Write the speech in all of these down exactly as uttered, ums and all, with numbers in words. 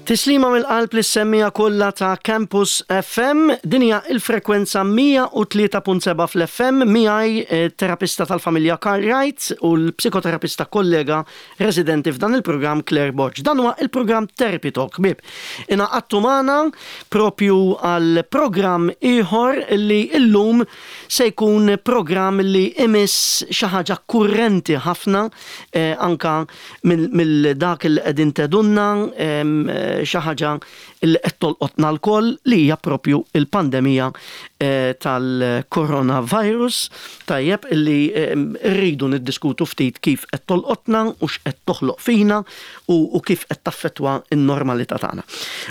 Tislima mill-qalb lis-semmiegħa kollha ta' Campus F M, din hija il-frekwenza mija u tlieta punt sebgħa fl-F M, miegħi eh, terapista tal-familja Karl Wright u l-psikoterapista kollega residenti f'dan il-programm Claire Borg. Dan huwa il-programm Therapy Talk, ħbieb. Ingħaqadtu magħna propju għal programm ieħor li illum se jkun programm li imiss xi ħaġa kurrenti ħafna eh, anka mill dak il qegħdin tgħidulna, eh, xi ħaġa li qed tolqotna lkoll, li hija propju il-pandemija eh, tal-coronavirus. Tajjeb, illi eh, rridu niddiskutu ftit kif qed tolqotna u x'qed toħloq fina u, u kif qed taffettwa n-normalità tagħna.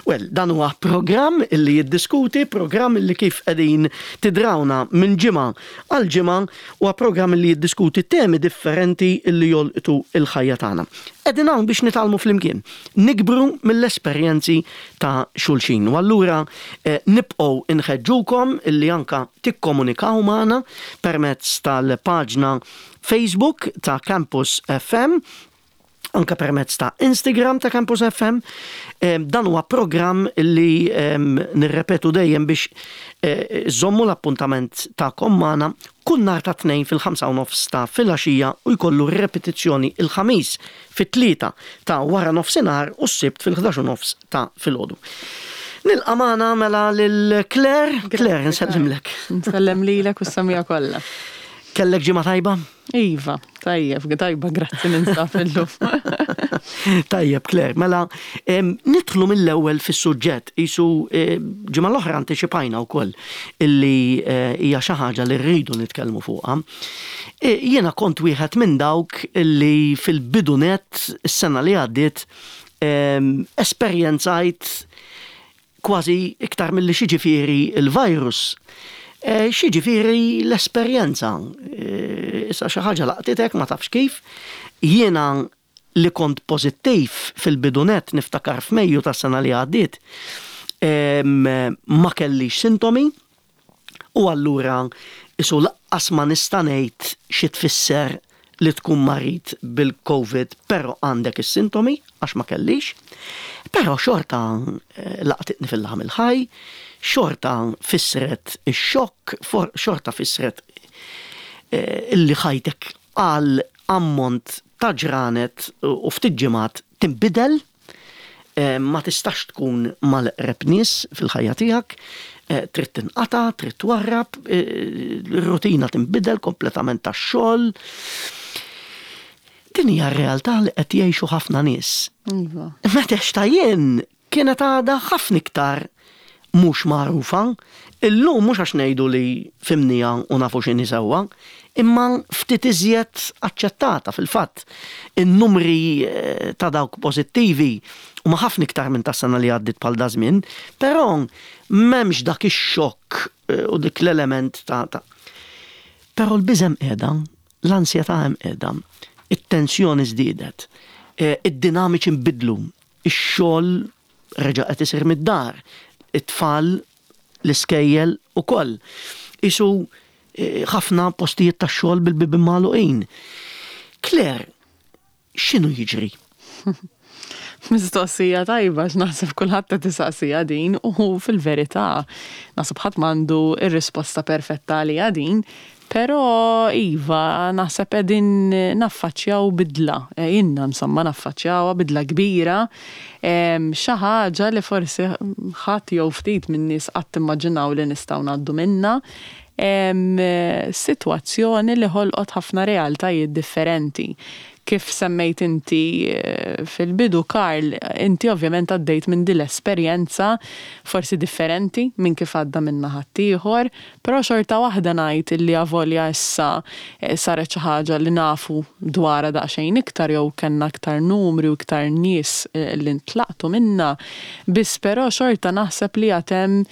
Well, dan huwa programm illi jiddiskuti, programm illi kif qegħdin tidrawna minn ġimgħa għal ġimgħa huwa programm illi jiddiskuti temi differenti illi jolqtu il-ħajja tagħna. Qegħdin hawn biex nitgħallmu flimkien, nikbru mill-esperjenzi ta' xulxin. U allura eh, nibqgħu inħeġġukom illi anka tikkomunikaw magħna permezz tal-paġna Facebook ta' Campus F M, anka permezz ta' Instagram ta' Campus F M. Eh, dan huwa programm li nirrepetu dejjem biex eh, żommu l-appuntament tagħkom magħna kull nhar ta' Tnejn fil-ħamsa u nofs ta' filgħaxija u jkollu repetizzjoni il-Ħamis fit-tlieta ta' wara nofsinhar u s-Sibt fil-ħdax u nofs ta' filgħodu. Nilqa' magħna mela lil Claire. Claire, nsellimlek. Nsellem lilek u s-semmiegħa kollha. Kellek ġimgħa tajba? Iva, tajjeb, tajba, grazzi, ninsab illum. Tajjeb, Claire, mela nidħlu mill-ewwel fis-suġġett. Isu ġimgħa l-oħra antiċipajna wkoll illi eh, hija xi ħaġa li rridu nitkellmu fuqha. E, jiena kont wieħed minn dawk illi fil-bidu nett is-sena li għaddiet esperjenzajt kważi iktar milli x'jiġifieri il-virus. Eh, x'jiġifieri l-esperjenza. Eh, issa xi ħaġa laqtitek, ma tafx kif. Jiena li kont pożittiv fil-bidu nett, niftakar f'Mejju tas-sena li għaddiet, ma kellix sintomi u allura isu lanqas ma nista' ngħid xi tfisser li tkun marid bil-COVID però għandek is-sintomi, għax ma kellix. Però xorta eh, laqtitni fil-laħam il-ħaj, xorta fissret ix-xokk, xorta fissret eh, illi ħajtek għal ammont ta' ġranet u ftit ġimgħat tinbidel, eh, ma tistax tkun mal-eqreb nies fil-ħajja tiegħek, eh, trid tinqata', trid twarrab, ir-rutina tinbidel kompletament tax-xogħol. Din hija r-realtà li qed jgħixu ħafna nies. Iva. Meta ta' jien kienet għadha ħafna iktar mhux magħrufa. Illum mhux għax ngħidu li fhimnieha u nafu x'inhi sewwa, imma ftit iżjed aċċettata fil-fatt. In-numri eh, ta' dawk pożittivi huma ħafna iktar minn tas-sena li għaddit bħal daż-żmien, però m'hemmx dak ix-xokk eh, u dik l-element ta' ta' Però l-biża' hemm qiegħda, l-ansjetà hemm qiegħda, it-tensjoni żdiedet, eh, id-dinamiċi nbidlu, ix-xogħol reġa' qed isir mid-dar, it-tfal l-iskejjel ukoll. Isu eh, ħafna postijiet tax-xogħol bil-bibien magħluqin. Claire, x'inhu jiġri? Mistoqsija tajba, x'naħseb kulħadd qed isaqsija din u fil-verità naħseb ħadd m'għandu ir-risposta perfetta għaliha din. Però iva, naħseb qegħdin naffaċċjaw bidla, e, inna insomma naffaċċjaw bidla kbira, xi ħaġa li forsi ħadd jew ftit minn nies qatt immaġinaw li nistgħu ngħaddu minna, sitwazzjoni li ħolqot ħafna realtajiet differenti. Kif semmejt inti eh, fil-bidu, Karl, inti ovvjament għaddejt minn din l-esperjenza forsi differenti minn kif għadda minna ħaddieħor, però xorta waħda ngħid illi avolja issa eh, saret xi ħaġa li nafu dwarha daqsxejn iktar jew kellna iktar numri u iktar nies eh, li ntlaqtu minna, biss però xorta naħseb li għad hemm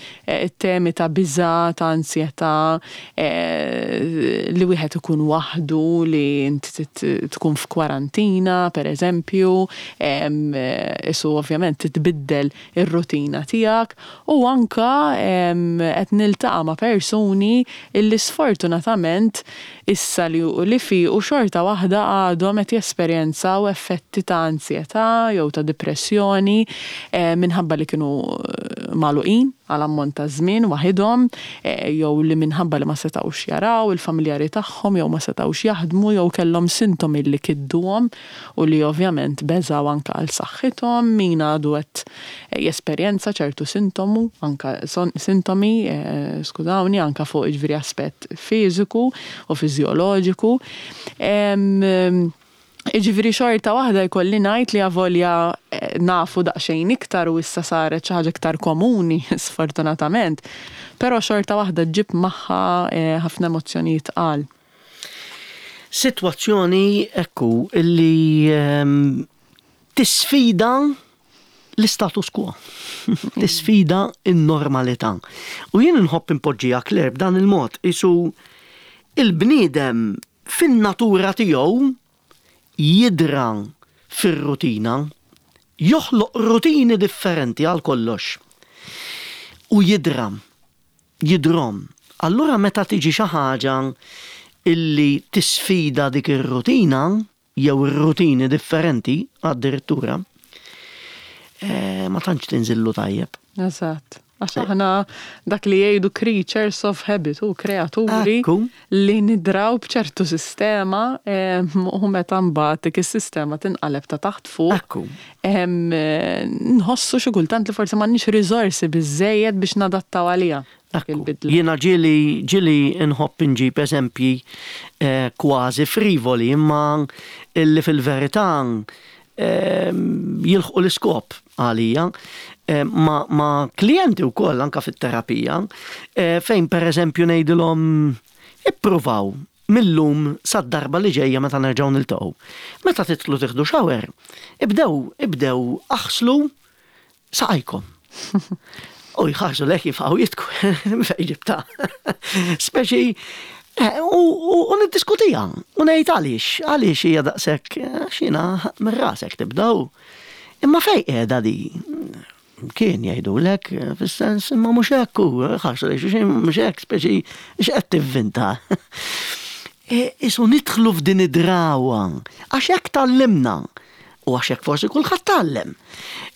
temi ta' biża', ta' ansjetà, li wieħed ikun waħdu, li inti tkun f'kwarantina. Kwarantina, per eżempju, isu ovvjament titbiddel ir-rutina tiegħek u anka qed niltaqa' ma' persuni illi sfortunatament issa li li fi u xorta waħda għadhom qed jesperjenzaw effetti ta' ansjetà jew ta' depressjoni minħabba li kienu magħluqin għal ammont ta' żmien waħidhom, jew li minħabba li ma setgħux jaraw il-familjari tagħhom jew ma setgħux jaħdmu jew kellhom sintomi li kidduhom u li ovvjament beżaw anka għal saħħithom, min għadu qed jesperjenza ċertu sintomu, anka sintomi, skużawni, anka fuq jiġifieri aspett fiżiku u fiżjoloġiku. Jiġifieri xorta waħda jkolli ngħid li avolja nafu daqsxejn iktar u issa saret xi ħaġa iktar komuni sfortunatament, però xorta waħda ġġib magħha ħafna emozzjonijiet tqal. Sitwazzjoni ekku illi tisfida l-status quo, tisfida n-normalità. U jien nħobb inpoġġiha, Claire, b'dan il-mod, isu il-bniedem fin-natura tiegħu jidra fir-rutina, joħloq rutini differenti għal kollox. U jidra, jidrom. Allura meta tiġi xi ħaġa illi tisfida dik ir-rutina, jew ir-rutini differenti addirittura, eh, ma tantx tinżillu tajjeb. Eżatt. Għax aħna dak li jgħidu creatures of habit u kreaturi Ekku. li nidraw b'ċertu sistema u meta mbagħad dik is-sistema tinqaleb ta' taħt fuq. Ekku. Nħossu xi kultant li forsi m'għandniex riżorsi biżejjed biex nadattaw għaliha. Ekku. Il-bidla. Jiena ġieli ġieli nħobb inġib eżempji eh, kważi frivoli, imma illi fil-verità eh, jilħqu l-iskop għalija eh, ma, ma klijenti wkoll anka fit-terapija, eh, fejn per eżempju ngħidilhom: ippruvaw mil-lum sad-darba li ġejja meta nerġgħu niltaqgħu. Meta tidħlu tieħdu shower, ibdew ibdew aħslu saqajkom. U jħarsu lejk, jifqgħu jidħku, fejn ġibtha. Speċi, eh, u, u, u niddiskutiha, u ngħid għaliex, għaliex hija daqshekk, eh, xina minn rasek tibdaw. Imma fej qiegħda di? Kien jgħidulek, eh, fis-sens, imma mhux hekk hu, ħarsu lejn xulxin, mhux hekk, speċi x'qed tivvinta. E, Isu nidħlu f'din id-drawa, għax hekk tgħallimna, u għax hekk forsi kulħadd tgħallem.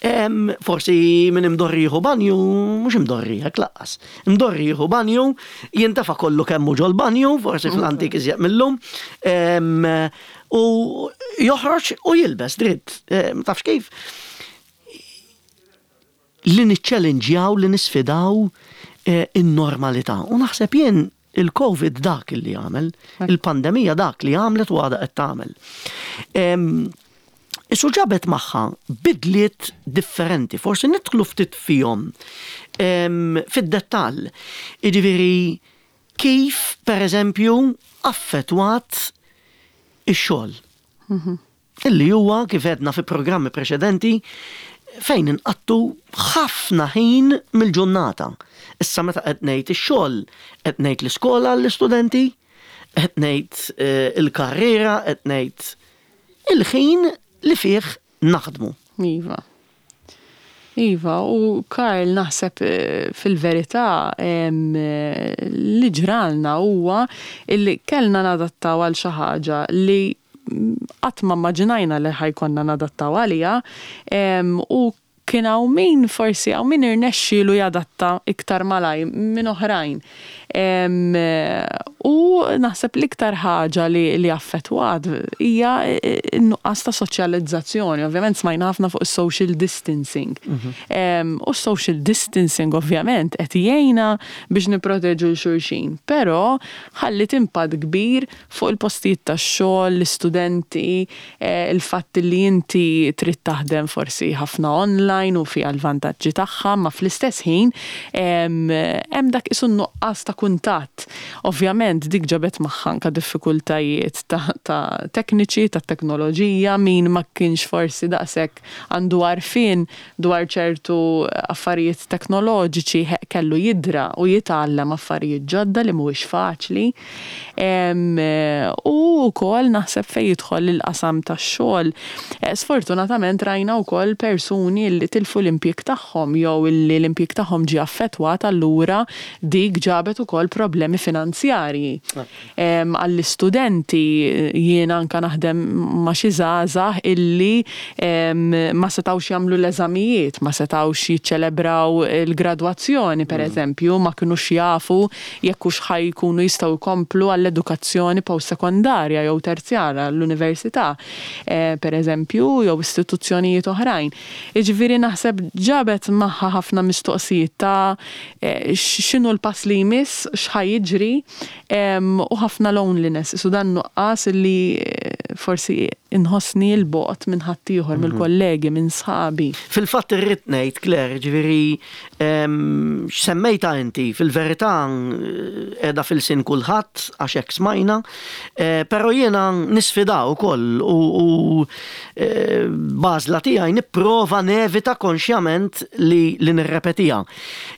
Em, Forsi min imdorri jieħu banju, mhux imdorri hekk lanqas. Imdorri jieħu banju, jintefa' kollu kemmu ġol banju, forsi fl-antik iżjed millum, em, u joħroġ u jilbes dritt. Em, Tafx kif? Li niċċellinġjaw, li nisfidaw eh, in-normalità. U naħseb jien il-Covid dak li għamel, il-pandemija dak li għamlet u għadha qed tagħmel. Em, Isu ġabet magħha bidliet differenti, forsi nidħlu ftit fihom em, fid-dettall. Jiġifieri kif per eżempju affettwat ix-xogħol. Illi huwa, kif għedna fi programmi preċedenti, fejn inqattu ħafna ħin mill-ġurnata. Issa meta qed ngħid ix-xogħol, qed ngħid l-iskola l-istudenti, qed ngħid eh, il-karriera, qed ngħid il-ħin li fih naħdmu. Iva. Iva, u Karl, naħseb eh, fil-verità em, eh, li ġralna huwa illi kellna nadattaw għal xi ħaġa li qatt ma immaġinajna li ħa jkollna nadattaw għaliha em, u kien hawn min forsi hawn min irnexxielu jadatta iktar malaj minn oħrajn. Em, U naħseb l-iktar ħaġa li, li affettwat hija n-nuqqas ta' soċjalizzazzjoni. Ovvjament smajna ħafna fuq social distancing. Em, U social distancing ovvjament qed jgħinna biex nipproteġu 'l xulxin, però ħallit impatt kbir fuq il-postijiet tax-xogħol, l-istudenti, eh, il-fatt li inti trid taħdem forsi ħafna online, online u fiha l-vantaġġi tagħha, ma fl-istess ħin hemm dak isu nuqqas ta' kuntatt. Ovvjament dik ġabet magħha anka diffikultajiet ta', ta tekniċi, ta' teknoloġija, min ma kienx forsi daqshekk għandu għarfien dwar ċertu affarijiet teknoloġiċi kellu jidra u jitgħallem affarijiet ġodda li mhuwiex faċli. U wkoll naħseb fejn jidħol il-qasam tax-xogħol. Eh, sfortunatament rajna wkoll persuni li tilfu l-impjieg tagħhom jew li l-impjieg tagħhom ġie affettwat, allura dik ġabet ukoll problemi finanzjarji. Għall-istudenti, jiena anka naħdem ma' xi żgħażagħ illi ma setgħux jagħmlu l-eżamijiet, ma setgħux jiċċelebraw il-gradwazzjoni per mm. eżempju, ma kinux jafu jekk hux ħa jkunu jistgħu jkomplu għall-edukazzjoni post-sekondarja jew terzjara l-università, eh, per eżempju, jew istituzzjonijiet oħrajn. Jiġifieri naħseb ġabet magħha ħafna mistoqsijiet ta' eh, x'inhu l-pass li jmiss, x'ħa jiġri, u ħafna loneliness, su dan nuqqas li eh, forsi inħossni 'l bogħod minn ħaddieħor, mhm. mill-kollegi, minn sħabi. Fil-fatt irrid ngħid, Claire, ġifieri semmejta inti, fil-verità qiegħda f'ilsien kulħadd għax hekk smajna, eh, però jiena nisfida wkoll u eh, l-għażla tiegħi nipprova nevita konxjament li, li nirrepetiha.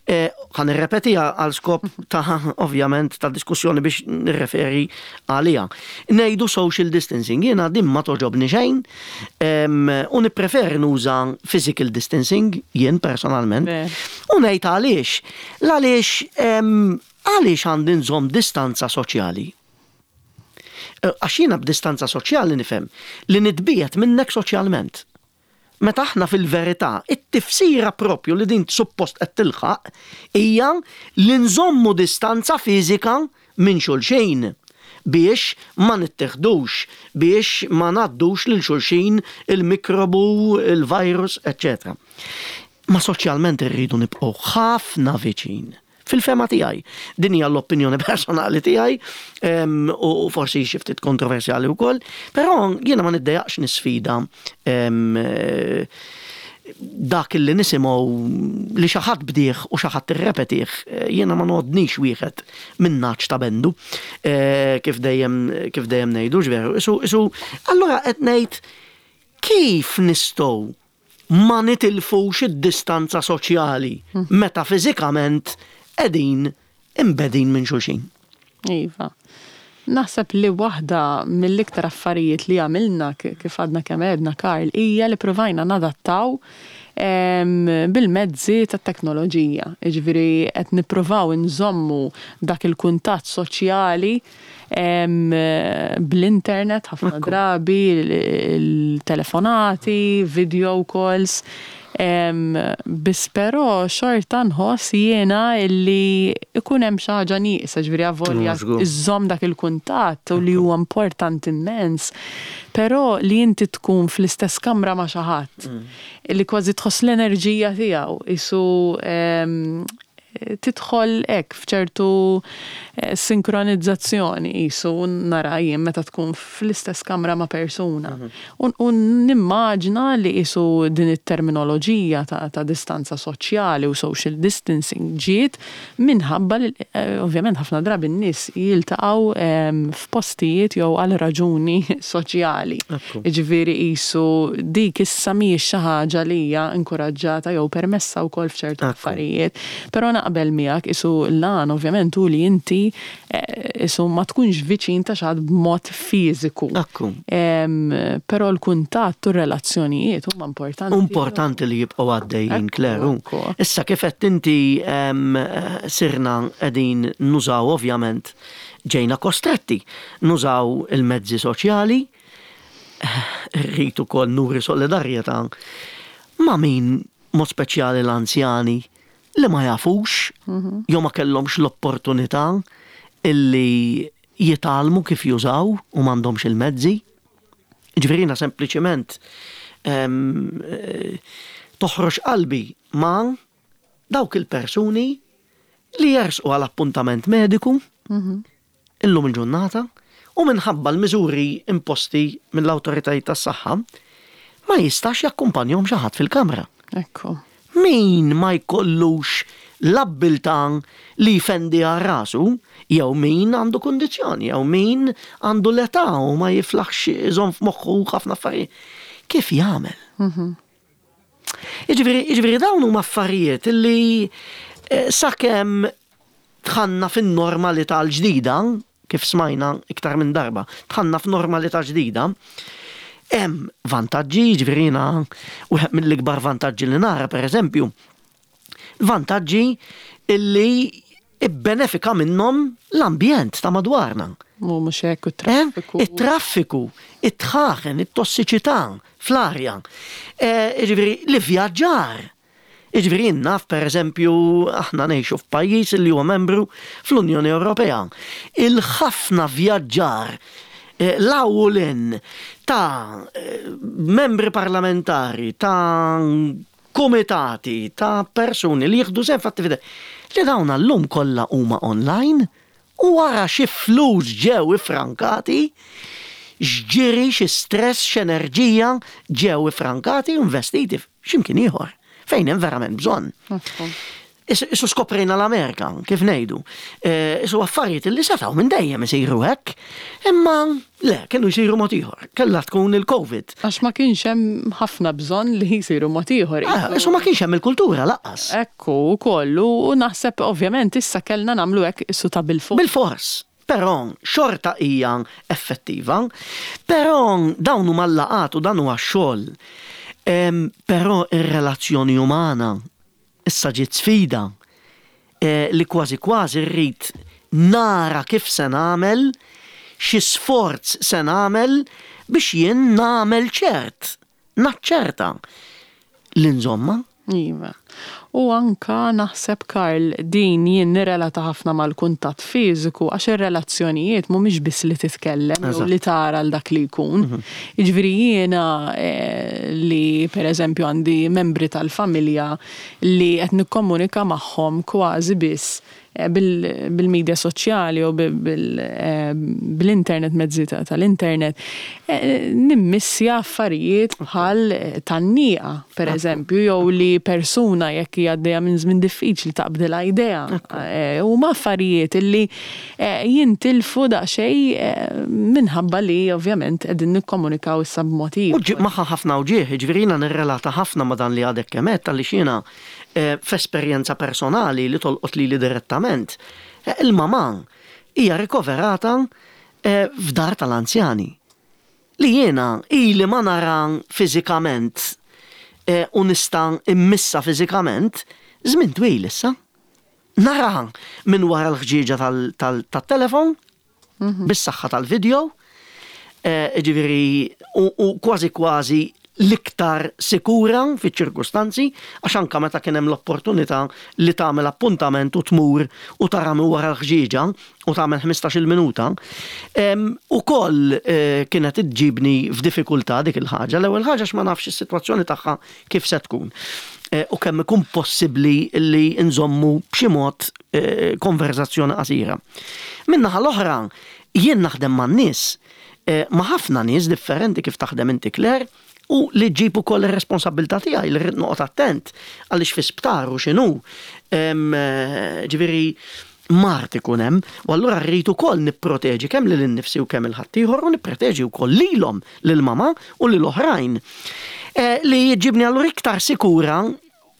Eh, ħa nirrepetiha għal skop ta' ovvjament ta' diskussjoni biex nirreferi għalija. Ngħidu social distancing, jiena din ma toġobni xejn u nippreferi nuża physical distancing jien personalment. U ngħid għaliex. L-għaliex għaliex għandi nżomm distanza soċjali? Eh, għax jiena b'distanza soċjali nifhem li nitbiegħed minnek soċjalment. Meta aħna fil-verità, it-tifsira propju li din suppost qed tilħaq hija li nżommu distanza fiżika minn xulxin biex ma nittiħdux, biex ma ngħaddux lil xulxin il-mikrobu, il-virus, eċċetera. Ma soċjalment irridu nibqgħu ħafna viċin. Fil-fehma tiegħi. Din hija l-opinjoni personali tiegħi u forsi xi ftit kontroversjali wkoll, però jiena ma niddejaqx nisfida dak li nisimgħu li xi ħadd bdieh u xi ħadd irrepetih, jiena ma ngħoddnix wieħed minn naċ ta' bendu, eh, kif dejjem kif dejjem ngħidu veru. Isu, isu, allura qed ngħid kif nistgħu ma nitilfux id-distanza soċjali hmm. meta fiżikament qegħdin imbegħdin minn xulxin? Iva. Naħseb li waħda mill-iktar affarijiet li għamilna, kif għadna kemm għedna, Karl, hija li provajna nadattaw bil-mezzi tat teknoloġija. Jiġifieri qed nippruvaw nżommu dak il-kuntatt soċjali bl-internet ħafna drabi, il-telefonati, video calls. Biss però xorta nħoss jiena illi ikun hemm xi ħaġa nieqsa, ġifieri avolja iżżomm dak il-kuntatt u li huwa importanti immens, però li inti tkun fl-istess kamra ma' xi ħadd, mm. li kważi tħoss l-enerġija tiegħu, isu tidħol hekk f'ċertu eh, sinkronizzazzjoni jisu nara jien meta tkun fl-istess kamra ma' persuna. Mhm. U nimmaġina li jisu din it-terminoloġija ta', ta' distanza soċjali u social distancing ġiet minħabba li eh, ovvjament ħafna drabi n-nies jiltaqgħu ehm, f'postijiet jew għal raġuni soċjali. Jiġifieri jisu dik issa mhijiex xi ħaġa li hija inkoraġġata jew permessa wkoll f'ċertu affarijiet. Però naqbel miegħek, isu l-għan ovvjament hu li inti eh, isu ma tkunx viċin ta' xi ħadd b'mod fiżiku. Però l-kuntatt u r-relazzjonijiet huma importanti. Importanti li jibqgħu għaddejjin, Kleru. Issa kif qed inti sirna qegħdin nużaw, ovvjament ġejna kostretti nużaw il-mezzi soċjali, rrid ukoll nuri solidarjetà ma' min, mod speċjali l-anzjani li ma jafux mhm. jew ma kellhomx l-opportunità illi jitgħallmu kif jużaw u m'għandhomx il-mezzi. Ġifieri sempliċement eh, toħroġ qalbi ma' dawk il-persuni li jersqu għal appuntament mediku mhm. illum il-ġurnata u minħabba l-miżuri imposti mill-awtoritajiet tas-saħħa ma jistax jakkumpanjahom xi ħadd fil-kamra. Ekku. Min ma jkollux l-abbiltà li jfendi għal rasu, jew min għandu kundizzjoni, jew min għandu l-età u ma jiflaħx iżomm f'moħħu ħafna affarijiet. Kif jagħmel? Jiġifieri, jiġifieri dawn huma affarijiet li eh, sakemm dħalna fin-normalità l-ġdida, kif smajna iktar minn darba, dħalna f'normalità ġdida, hemm vantaġġi, jiġifieri jiena wieħed mill-ikbar vantaġġi li nara, per eżempju, vantaġġi illi ibbenefika minnhom l-ambjent ta' madwarna. Mu mhux hekk, u traffiku. Il-traffiku, it-dħaħen, it-tossiċità fl-arja. Eh, Jiġifieri, l-vjaġġar. Jiġifieri, naf, per eżempju, aħna ngħixu f'pajjiż li huwa membru fl-Unjoni Ewropea. Il-ħafna vjaġġar eh, l-awulin ta' eh, membri parlamentari, ta' komitati, ta' persuni li jieħdu sehem f'attività li dawn llum kollha huma online u wara xi flus ġew ifrankati, x'ġiri, xi stress, x'enerġija ġew ifrankati u investiti f'x'imkien ieħor fejn hemm verament bżonn. Isu skoprejna l-Amerika, kif ngħidu. Eh, Isu affarijiet li setgħu minn dejjem isiru hekk, imma le, kienu jsiru mod ieħor. Kellha tkun il-Covid. Għax ma kienx hemm ħafna bżonn li jsiru mod ieħor. Ah, Isu ma kienx hemm il-kultura lanqas. Ekku, kollu, u naħseb ovvjament issa kellna nagħmlu hekk issu ta' bil-fuq. Bil-fors. Però xorta hija effettiva, però dawn huma l-laqgħat u dan huwa x-xogħol. Em, Però ir-relazzjoni umana issa ġiet sfida eh, li kważi kważi rrid nara kif se nagħmel, xi sforz se nagħmel biex jien nagħmel ċert, naċċerta li nżomma. Iva. U anka naħseb, Karl, din jien nirrelata ħafna mal-kuntatt fiżiku, għax ir-relazzjonijiet mhumiex biss li titkellem jew Eżatt. li tara l dak li jkun. Jiġifieri jiena eh, li pereżempju għandi membri tal-familja li qed nikkomunika magħhom kważi biss eh, bil- bil-medja soċjali u bil- bil- eh, bil-internet, mezzi ta- tal-internet, eh, nimmissja affarijiet bħal eh, tgħanniqa, per eżempju, jew li persuna jekk hija għaddejja minn żmien diffiċli taqbdilha idea. Eh, Huma affarijiet illi eh, jintilfu daqsxejn eh, minħabba li ovvjament qegħdin nikkomunikaw issa b'mod U ieħor. ġib magħha ħafna uġieħ, ġifieri jiena nirrelata ħafna ma dan li għadek kemm għedt, għaliex jiena eh, f'esperjenza personali li tolqot li li direttament. eh, Il-mama hija rikoverata eh, f'dar tal-anzjani. Li jiena ili ma nara fiżikament eh, u nista' immissa fiżikament żmien twil issa. Nara minn wara l-ħġieġa tal-telefon, bis-saħħa tal-video, eh, ġifieri, u, u kważi kważi l-iktar sikura fiċ-ċirkustanzi, għax anka meta kien hemm l-opportunità li tagħmel appuntament u tmur u tara minn wara l-ħġieġa u tagħmel ħmistax-il minuta, em, ukoll eh, kienet iġġibni f'diffikultà dik il-ħaġa. L-ewwel ħaġa x'ma nafx is-sitwazzjoni tagħha kif se tkun. Eh, U kemm ikun possibbli li nżommu b'xi mod eh, konverzazzjoni qasira. Min-naħa l-oħra, jien naħdem man-nies, eh, ma' ħafna nies differenti kif taħdem inti, Claire, u li ġġib ukoll ir-responsabilità tiegħi li rrid noqgħod attent għaliex fi sptar u x'inhu. Em, eh, Ġifieri mard ikun hemm, u allura rrid ukoll nipproteġi kemm lil innifsi u kemm il-ħaddieħor u nipproteġi wkoll lilhom, lil-mama u lil oħrajn. Eh, Li jġibni allura iktar sikura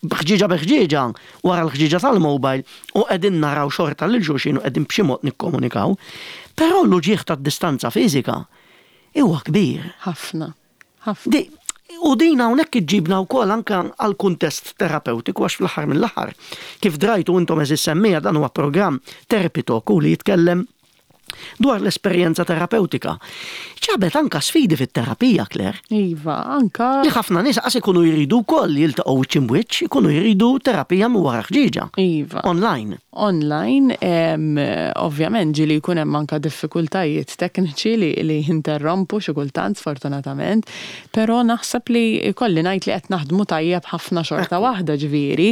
b'ħġieġa b'ħġieġa wara l-ħġieġa tal-mobile u qegħdin naraw xorta lil xulxin u qegħdin b'xi mod nikkomunikaw. Però l-uġieħ tad-distanza fiżika huwa kbir. Ħafna. Ħafna. Di, u din hawnhekk iġġibna wkoll anke għal kuntest terapeutiku, għax fl-aħħar mill-aħħar, kif drajtu intom, għeżież semmiegħa, dan huwa programm Therapy Talk u li jitkellem dwar l-esperjenza terapeutika. Ġabet anka sfidi fit-terapija, Claire. Iva, anka. Li ħafna nies qas ikunu jridu wkoll jiltaqgħu wiċċ imb'wiċċ, ikunu jridu terapija minn wara ħġieġa. Iva. Online. Online, em, ovvjament ġieli jkun hemm anka diffikultajiet tekniċi li, li jinterrompu xi kultant, sfortunatament, però naħseb li kolli ngħid li qed naħdmu tajjeb ħafna xorta waħda ġifieri.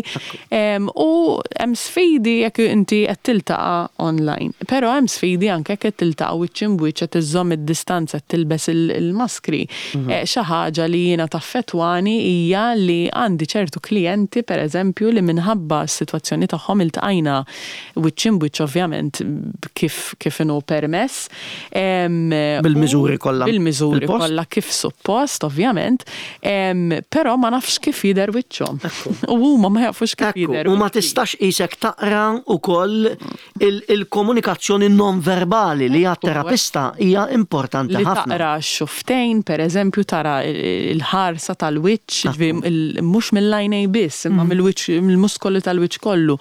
Em, U hemm sfidi jekk inti qed tiltaqa' online, però hemm sfidi anka anke qed tiltaqgħu wiċċ imb'wiċċ, qed iżżomm id-distanza, tilbes il-maskri. Mhm. Eh, xi ħaġa li jiena taffettwani hija li għandi ċertu klijenti, pereżempju, li minħabba s-sitwazzjoni tagħhom iltqajna wiċċ imb'wiċċ, ovvjament kif kif inhu permess. Bil-miżuri kollha. Bil-miżuri kollha kif suppost, ovvjament. Però ma nafx kif jidher wiċċhom. U huma ma jafux kif jidher. U ma tistax isek taqra ukoll il-komunikazzjoni non verbali li għat-terapista hija importanti ħafna. Li taqra x-xufftejn, per eżempju, tara il-ħarsa tal-wiċċ, mhux mill-għajnej biss, imma mm. mill-wiċċ, mill-muskoli tal-wiċċ kollu.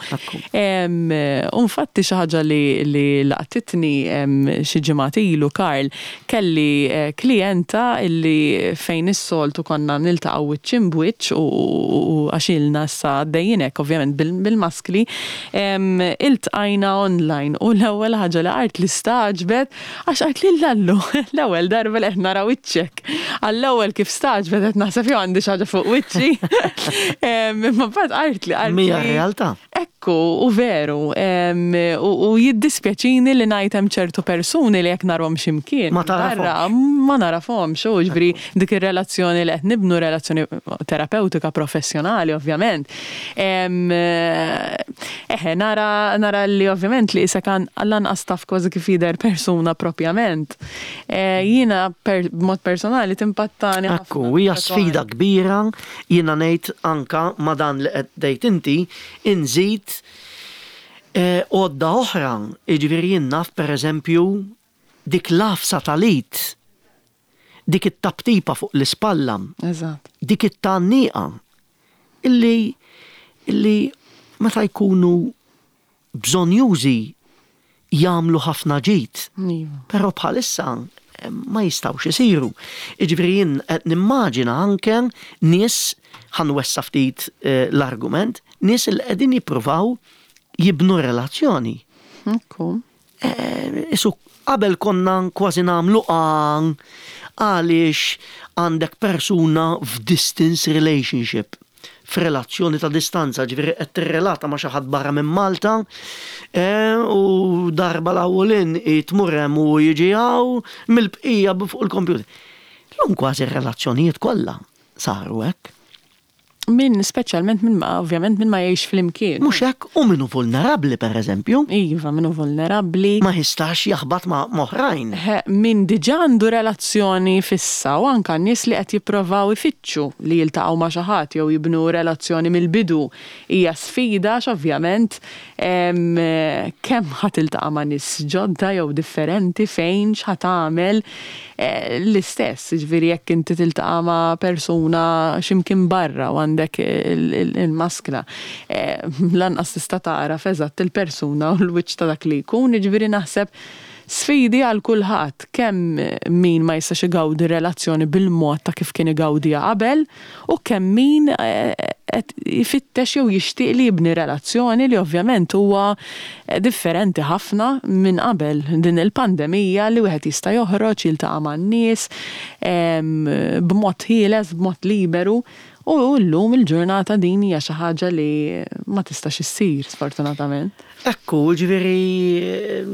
Infatti xi ħaġa li laqtitni xi ġimgħat ilu, Karl, kelli eh, klijenta illi fejn is-soltu konna niltaqgħu wiċċ imb'wiċċ u għax ilna issa għaddejjinek ovvjament bil-maskli, iltqajna online u l-ewwel ħaġa li qalt li stagħġbet għax qalt li lallu l-ewwel darba li qed nara wiċċek. Għall-ewwel kif stagħġbet qed naħseb jew għandi xi ħaġa fuq wiċċi. Imma mbagħad qalt li qalt. Mija realtà. Ekku, u veru, u jiddispjaċini li ngħid hemm ċertu persuni li jekk narhom x'imkien. Ma tarafhomx. Ma narafhomx, u ġifieri dik ir-relazzjoni li qed nibnu, relazzjoni terapeutika professjonali ovvjament. Eħe, nara, nara li ovvjament li issa kan lanqas taf kważi kif jidher persuna propjament. E, jiena per, b'mod personali timpattani. Ekku, hija sfida kbira, jiena ngħid anka ma dan li qed tgħid inti, inżid e, għodda oħra, jiġifieri jien naf, pereżempju, dik l-għafsa tal-id, dik it-taptipa fuq l-ispalla, dik it-tgħanniqa, illi illi meta jkunu bżonjużi jagħmlu ħafna ġid. Iva. Però bħalissa eh, ma jistgħux isiru. Jiġifieri jien qed nimmaġina anke nies, ħa nwessa' ftit eh, l-argument, nies li qegħdin jippruvaw jibnu relazzjoni. Ekku. Eh, Isu qabel konna kważi nagħmlu għan għaliex għandek persuna f'distance relationship, f'relazzjoni ta' distanza, ġifieri qed tirrelata ma' xi ħadd barra minn Malta eh, u darba l-awwelin tmur hemm u jiġi hawn, mill-bqija fuq il-computer. Illum kważi r-relazzjonijiet kollha saru hekk. Min, speċjalment min ma, ovvjament, min ma jgħix flimkien. Mhux hekk, u min hu vulnerabbli, pereżempju. Iva, min hu vulnerabbli. Ma jistax jaħbat ma' oħrajn. Min diġà għandu relazzjoni fissa u anka nies li qed jipprovaw ifittxu li jiltaqgħu ma' xi ħadd jew jibnu relazzjoni mill-bidu hija sfida għax ovvjament kemm ħa tiltaqa' ma' nies ġodda jew differenti, fejn, x'ħa tagħmel, eh, l-istess, ġifieri jekk inti tiltaqa' ma' persuna x'imkien barra u għandek il-maskla, eh, lanqas tista' tagħraf eżatt il-persuna u l-wiċċ ta' dak li jkun, ġifieri naħseb sfidi għal kulħadd, kemm min ma jistax igawdi relazzjoni bil-mod ta' kif kien igawdiha qabel u kemm min eh, qed ifittex jew jixtieq li jibni relazzjoni li ovvjament huwa differenti ħafna minn qabel din il-pandemija li wieħed jista' joħroġ, jiltaqa' man-nies b'mod ħieles, b'mod liberu. U llum il-ġurnata din hija xi ħaġa li ma tistax issir, sfortunatament. Ekku, ġifieri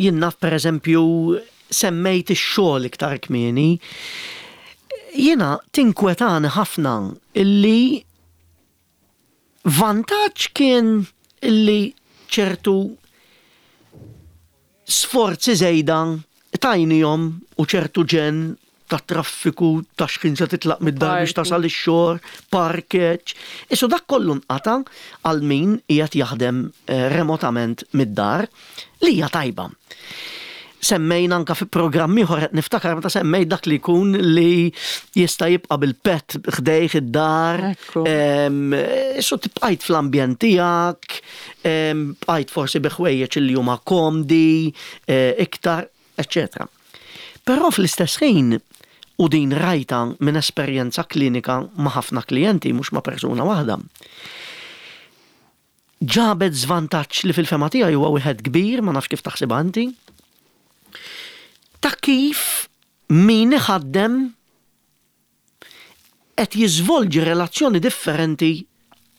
jien naf, pereżempju, semmejt ix-xogħol iktar kmieni. Jiena tinkwetani ħafna illi vantaġġ kien illi ċertu sforzi żejda tajnihom u ċertu ġen ta' traffiku, ta' x'ħin se titlaq mid-dar biex tasal ix-xogħol, parkeġġ. Isu dak kollu nqata' għal min qiegħed jaħdem eh, remotament mid-dar, li hija tajba. Semmejna anka fi programm ieħor, qed niftakar meta semmejt dak li jkun li jista' jibqa' bil-pet ħdejh id-dar. Ekku. Isu tibqajt fl-ambjent tiegħek, bqajt forsi bi ħwejjeġ li huma komdi, eh, iktar, eċċetera. Però fl-istess ħin, u din rajta minn esperjenza klinika ma' ħafna klijenti, mhux ma' persuna waħda, ġabet żvantaġġ li fil-fehma tiegħi huwa wieħed kbir, ma nafx kif taħsibha inti, ta' kif min iħaddem qed jiżvolġi relazzjoni differenti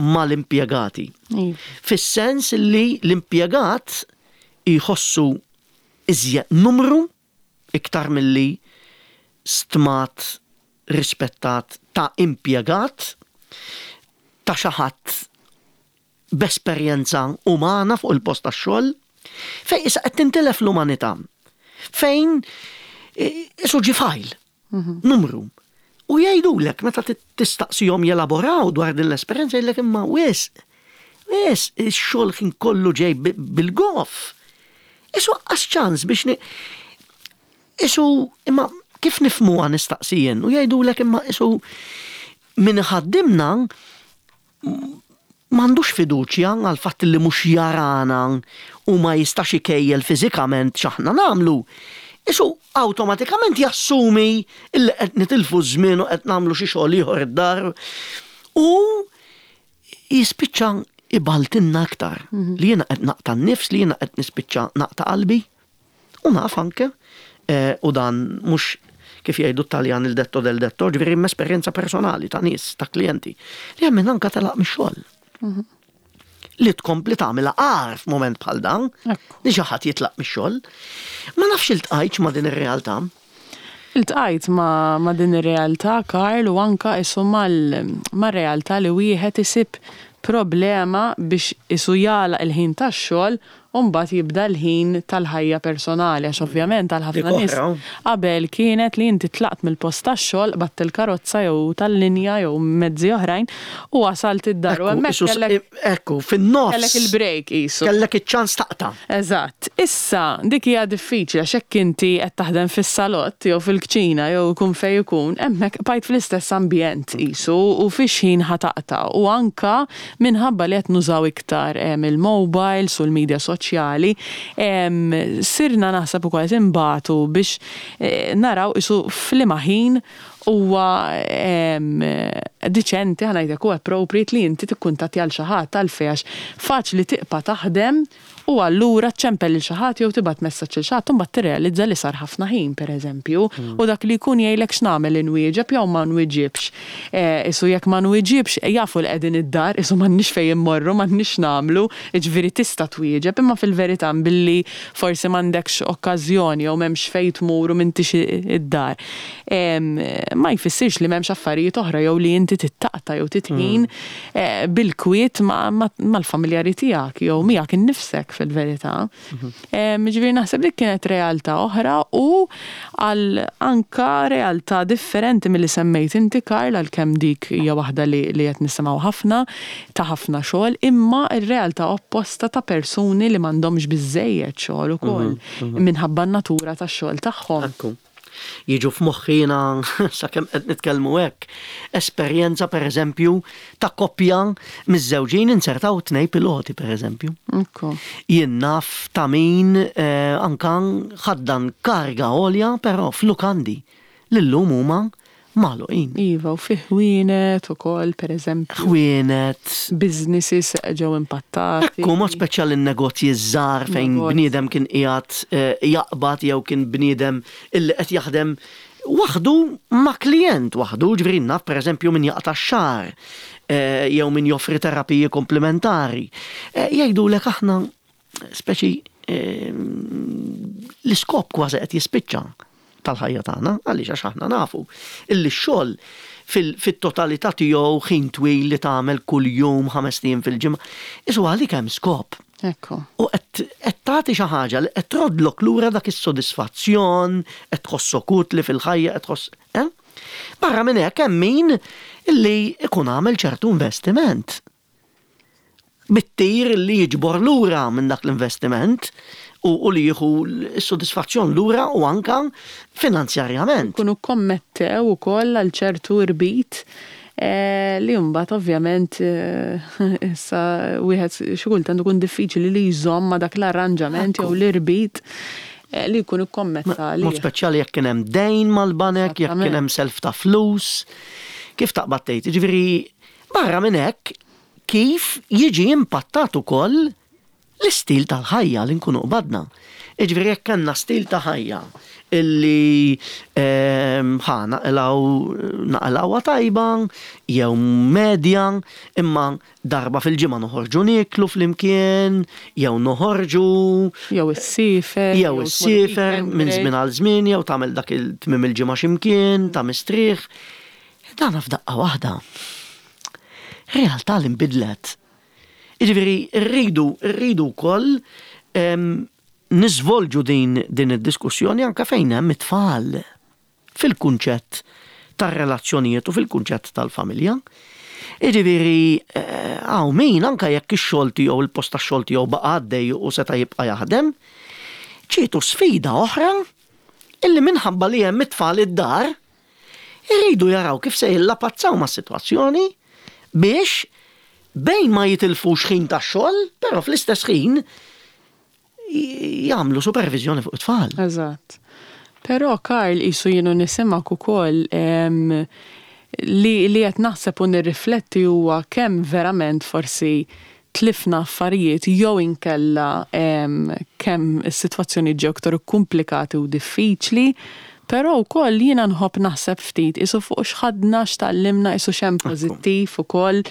mal-impjegati. Iva. Fis-sens li l-impjegat jħossu Iżjed numru iktar milli stmat, rispettat ta' impjegat, ta' xi ħadd b'esperjenza umana fuq il-post tax-xogħol, fejn issa qed tintilef l-umanità. Fejn isu ġi file, mhm. numru. U jgħidulek meta tistaqsihom jelaboraw dwar din l-esperjenza, jgħidlek imma wisq, wisq ix-xogħol kien kollu ġej bil-goff. Isu qas ċans biex ni. Isu imma kif nifhmuha, nistaqsijien, u jgħidulek imma isu min ħaddimna m'għandux fiduċja għal fatt li mhux jarana u ma jistax ikejjel fiżikament x'aħna nagħmlu. Isu awtomatikament jassumi illi qed nitilfu żmien u qed nagħmlu xi xogħol ieħor id-dar u jispiċċa ibaltinna aktar mhm. li jiena qed naqta' n-nifs, li jiena qed nispiċċa naqta' qalbi. U naf anke, eh, u dan mhux, kif jgħidu Taljan, il detto del detto, ġifieri esperjenza personali ta' nies, ta' klijenti, li hemm anka telaq mix-xogħol. Mhm. Li tkompli tagħmilha agħar f'mument bħal dan, li xi ħadd jitlaq mix-xogħol. Ma nafx iltqajtx ma' din ir-realtà. Iltqajt ma, ma din ir-realtà, Karl, u anka isu mal-realtà li wieħed isib problema biex isu jagħlaq il-ħin tax-xogħol u mbagħad jibda l-ħin tal-ħajja personali, għax ovvjament għal ħafna nies qabel kienet li inti tlaqt mill-post tax-xogħol, qbadt il-karozza jew tal-linja jew mezzi oħrajn u wasalt id-dar u hemmhekk kellek Ekku, fin-nofs. Kellek il-break isu. Kellek iċ-ċans taqta'. Eżatt. Issa dik hija diffiċli għax hekk inti qed taħdem fis-salott jew fil-kċina jew ikun fejn ikun, hemmhekk bqajt fl-istess ambjent isu u fix ħin ħa taqta', u anka minħabba li qed nużaw iktar il-mobiles u l-media soċjali, sirna naħseb ukoll qed inbatu biex eh, naraw isu f'liema ħin huwa diċenti, ħa ngħidlek, u appropriate li inti tikkuntatti għal xi ħadd, għalfejn, għax faċli tibqa' taħdem u allura ċempel lil xi ħadd jew tibgħat messaġġ lil xi ħadd, imbagħad tirrealizza li sar ħafna ħin, pereżempju, mm. u dak li jkun jgħidlek x'nagħmel, inwieġeb jew ma nwieġibx. Eh, isu jekk ma nwieġibx jafu l qegħdin id-dar, isu m'għandniex fejn immorru, m'għandniex nagħmlu, jiġifieri tista' twieġeb, imma fil-verità billi forsi m'għandekx okkażjoni jew m'hemmx fejn tmur u m'intix id-dar. Ma jfissirx li m'hemmx affarijiet oħra jew li inti tittaqta' jew titħin mm. eh, bil-kwiet mal-familjari tiegħek jew miegħek innifsek fil-verità. Mhm. Ġifieri naħseb li kienet realtà oħra u għal anka realtà differenti milli semmejt inti, Karl, għalkemm dik hija waħda li li qed nisimgħu ħafna ta' ħafna xogħol, imma r-realtà opposta ta' persuni li m'għandhomx biżejjed xogħol ukoll mhm, mhm. minħabba n-natura tax-xogħol tagħhom. Jiġu f'moħħi jiena, sakemm qed nitkellmu hekk, esperjenza pereżempju ta' koppja miż-żewġin insertaw tnej piloti, pereżempju. Jien naf ta' min eh, anka ħaddan karga għolja però f'lukandi li llum huma magħluqin. Iva, u fi ħwienet ukoll, pereżempju. Ħwienet. Businesses ġew impattati. Ekku, mod speċjali n-negozji żgħar fejn bniedem kien qiegħed eh, jaqbad jew kien bniedem illi qed jaħdem waħdu ma' klient waħdu, ġifieri naf pereżempju min jaqta' x-xagħar eh, jew min joffri terapiji komplementari. Eh, jgħidulek aħna speċi l-iskop kważi qed jispiċċa tal-ħajja tagħna, għaliex, għax aħna nafu illi x-xogħol fit-totalità tiegħu, ħin twil li tagħmel kuljum, ħames ijiem fil-ġimgħa, isu għalik hemm skop. Ekku. U qed tagħti xi ħaġa li qed trodlok lura dak is-sodisfazzjon, qed tħossok utli fil-ħajja, qed tħoss. Eh? Barra minn hekk hemm min illi ikun għamel ċertu investiment bit-tir li jiġbor lura minn dak l-investiment u, u li jieħu s-sodisfazzjon lura u anka finanzjarjament. Kunu kommettew ukoll għal ċertu irbit eh, li mbagħad ovvjament eh, issa wieħed xi kultant ikun diffiċli li jżomm ma' dak l-arranġament jew l-irbit eh, li jkun ikkommetta. Mod speċjali jekk kien hemm dejn mal-banek, jekk kien hemm self ta' flus, kif taqbad tgħid. Ġifieri barra minn hekk kif jiġi impattat ukoll l-istil tal-ħajja li nkunu qbadna. Jiġifieri jekk kellna stil ta' ħajja illi ehm, ħa naqilgħu naqilgħuha tajba jew medja, imma darba fil-ġimgħa noħorġu nieklu flimkien, jew noħorġu Jew issiefer. Jew issiefer minn żmien għal żmien, jew tagħmel dak il-tmiem il-ġimgħa x'imkien, ta' mistrieħ. Dan f'daqqa waħda. Realtà li nbidlet. Jiġifieri rridu rridu wkoll em, niżvolġu din din id-diskussjoni anke fejn hemm it-tfal fil-kunċett tar-relazzjonijiet u fil-kunċett tal-familja. Jiġifieri hawn min anke jekk ix-xogħol tiegħu, il-post tax-xogħol tiegħu baqa' għaddej u seta' jibqa' jaħdem, ġietu sfida oħra illi minħabba li hemm it-tfal id-dar irridu jaraw kif se jillapazzaw mas-sitwazzjoni biex bejn ma jitilfux ħin tax-xogħol, però fl-istess ħin jagħmlu supervizjoni fuq it-tfal. Eżatt. Però, Karl, qisu jiena nismgħek ukoll em, li li qed naħseb u nirrifletti huwa kemm verament forsi tlifna affarijiet jew inkella em, kemm is-sitwazzjoni ġew iktar komplikati u diffiċli, però wkoll jiena nħobb naħseb ftit qisu fuq x'ħadna, x'tgħallimna, qisu x'hemm pożittiv ukoll,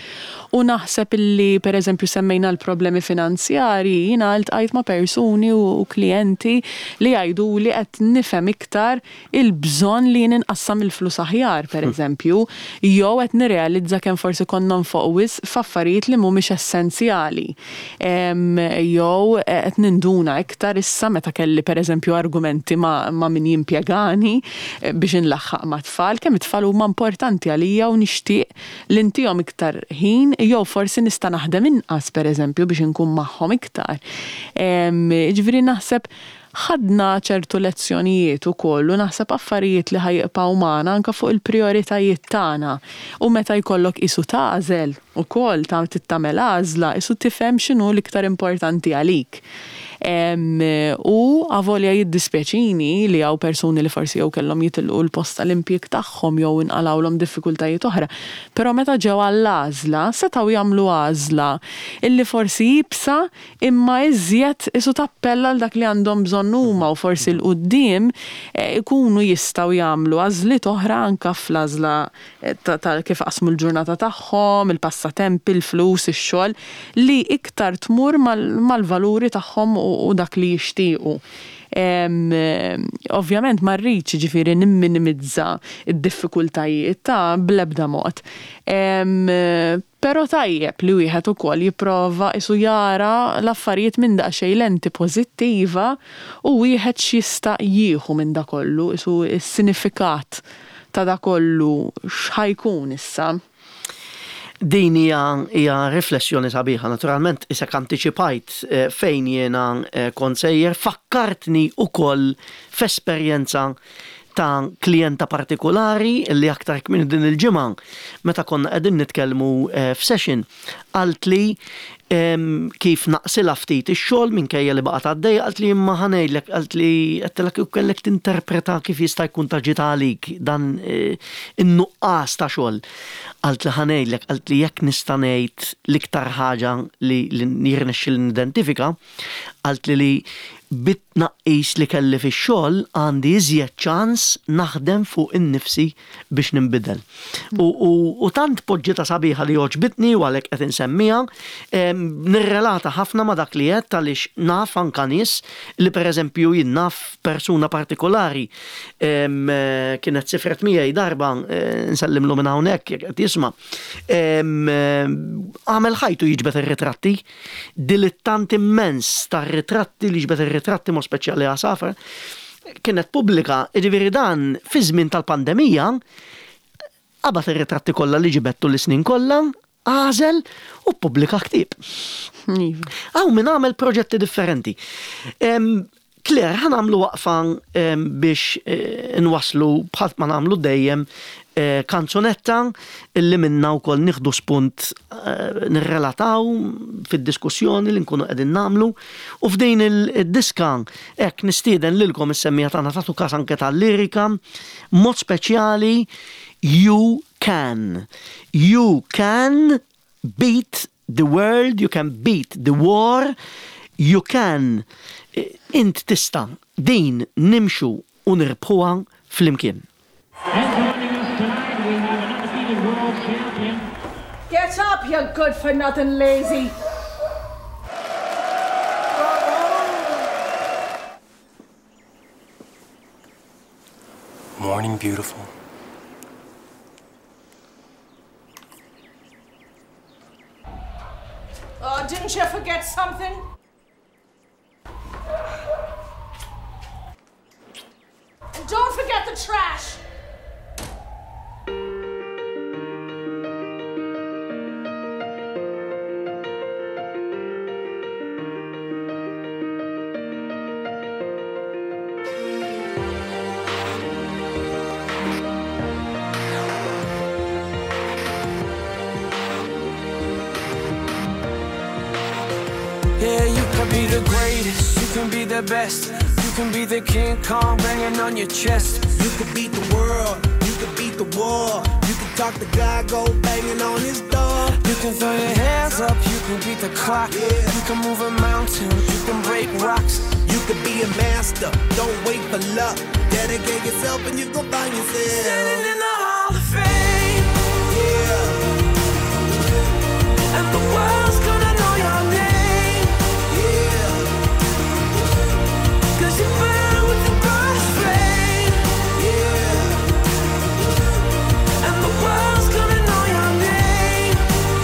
u naħseb illi, pereżempju, semmejna l-problemi finanzjarji, jiena ltqajt ma' persuni u klijenti li jgħidu li qed nifhem iktar il-bżonn li jien inqassam il-flus aħjar, pereżempju, jew qed nirrealizza kemm forsi konna nonfqu wisq f'affarijiet li mhumiex essenzjali. Em, Jew qed ninduna iktar issa meta kelli, pereżempju, argumenti ma', ma min jimpjegani eh, biex inlaħħaq ma' tfal, kemm it-tfal huma importanti għalija u nixtieq li ntihom iktar ħin jew forsi nista' naħdem inqas, pereżempju, biex inkun magħhom iktar. Em, Ġifieri naħseb ħadna ċertu lezzjonijiet ukoll u naħseb affarijiet li ħa jibqgħu magħna anke fuq il-prijoritajiet tagħna. U meta jkollok qisu tagħżel ukoll ta' tagħmel għażla, qisu tifhem x'inhu l-iktar importanti għalik. Em, U avolja jiddispjaċini li hawn persuni li forsi jew kellhom jitilqu l-post tal-impjieg tagħhom jew inqalgħulhom diffikultajiet oħra, però meta ġew għall-għażla setgħu jagħmlu għażla illi forsi iebsa imma iżjed qisu tappella għal dak li għandhom bżonn huma u forsi 'l quddiem eh, ikunu jistgħu jagħmlu għażliet oħra anke fl-għażla eh, ta' ta' kif qasmu l-ġurnata tagħhom, il-passatempi, il-flus, ix-xogħol, li iktar tmur mal- mal-valuri tagħhom u u dak li jixtiequ. Em, eh, Ovvjament ma rridx, ġifieri, nimminimizza id-diffikultajiet ta' bl-ebda mod. Em, Però tajjeb li wieħed ukoll jipprova qisu jara l-affarijiet minn daqsxejn lenti pożittiva u wieħed x'jista' jieħu minn da kollu, qisu s-sinifikat ta' da kollu x'ħa jkun issa. Din hija hija riflessjoni sabiħa, naturalment isek antiċipajt eh, fejn jiena eh, kont sejjer, fakkartni ukoll f'esperjenza ta' klijenta partikolari li aktar minn din il-ġimgħa meta konna qegħdin nitkellmu eh, f'session qaltli em, kif naqsilha ftit ix-xogħol minkejja li baqgħet għaddejja, qalt li imma ħa ngħidlek, qalt li għedtilha kif kellek tinterpreta kif jista' jkun ta' ġita għalik dan eh, in-nuqqas ta' xogħol. Qalt li ħa ngħidlek, qalt li jekk nista' ngħid l-iktar ħaġa li li jirnexxi nidentifika, qalt li li bit-tnaqqis li kelli fix-xogħol għandi iżjed ċans naħdem fuq innifsi biex ninbidel. U, u, u tant poġġietha sabiħa li għoġbitni u għalhekk qed insemmiha, em, nirrelata ħafna ma' dak li qed għaliex naf anka nies li, pereżempju, jien naf persuna partikolari em, eh, kienet sifret miegħi darba, eh, nsellimlu minn hawnhekk jekk qed jisma'. Em, eh, Għamel ħajtu jiġbed ir-ritratti, dilettant immens tar-ritratti li jiġbed ir-ritratti mod speċjali għasafar, kienet pubblika, jiġifieri dan fi żmien tal-pandemija, qabad ir-ritratti kollha li ġibettu l-snin kollha, għażel u pubblika ktieb. Iva. Hawn min għamel proġetti differenti. Em, Claire, ħa nagħmlu waqfa em, biex eh, nwaslu bħal ma nagħmlu dejjem eh, kanzunetta illi minna wkoll nieħdu spunt eh, nirrelataw fid-diskussjoni li nkunu qegħdin nagħmlu u f'din il-diska hekk nistieden lilkom is-semmiegħa tagħna tagħtu kas anke tal-lirika mod speċjali. You can. You can beat the world, you can beat the war, You can, int tista', din nimxu u nirbħuha flimkien. And joining us tonight, we have an undefeated world champion. Get up, you good for nothing lazy. Morning, beautiful. Oh, didn't you forget something? And don't forget the trash! Yeah, you can be the greatest, you can be the best. You can be the King Kong banging on your chest. You could beat the world, you could beat the war. You could talk to God, go banging on his door. You can throw your hands up, you can beat the clock. Yeah. You can move a mountain, you can break rocks. You could be a master, don't wait for luck. Dedicate yourself and you gon' find yourself. Standing in the Hall of Fame. Yeah. And the world's gonna know your name. Yeah. 'Cause you burn with the brightest flame. Yeah. And the world's gonna know your name.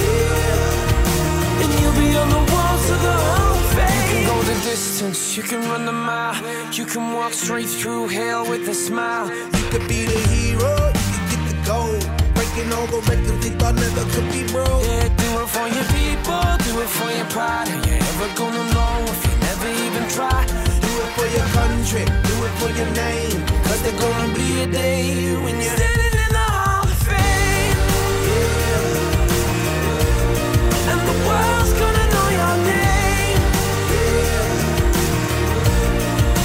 Yeah. And you'll be on the walls of the Hall of Fame. You can go the distance, you can run the mile. You can walk straight through hell with a smile. You could be the hero, you could get the gold. Breaking all the records they thought never could be broke. Yeah, do it for your people, do it for your pride. Are you ever gonna know if you never even try? Do it for your country, do it for your name. 'Cause there's gonna be a day when you're standing in the Hall of Fame. Yeah. And the world's gonna know your name. Yeah.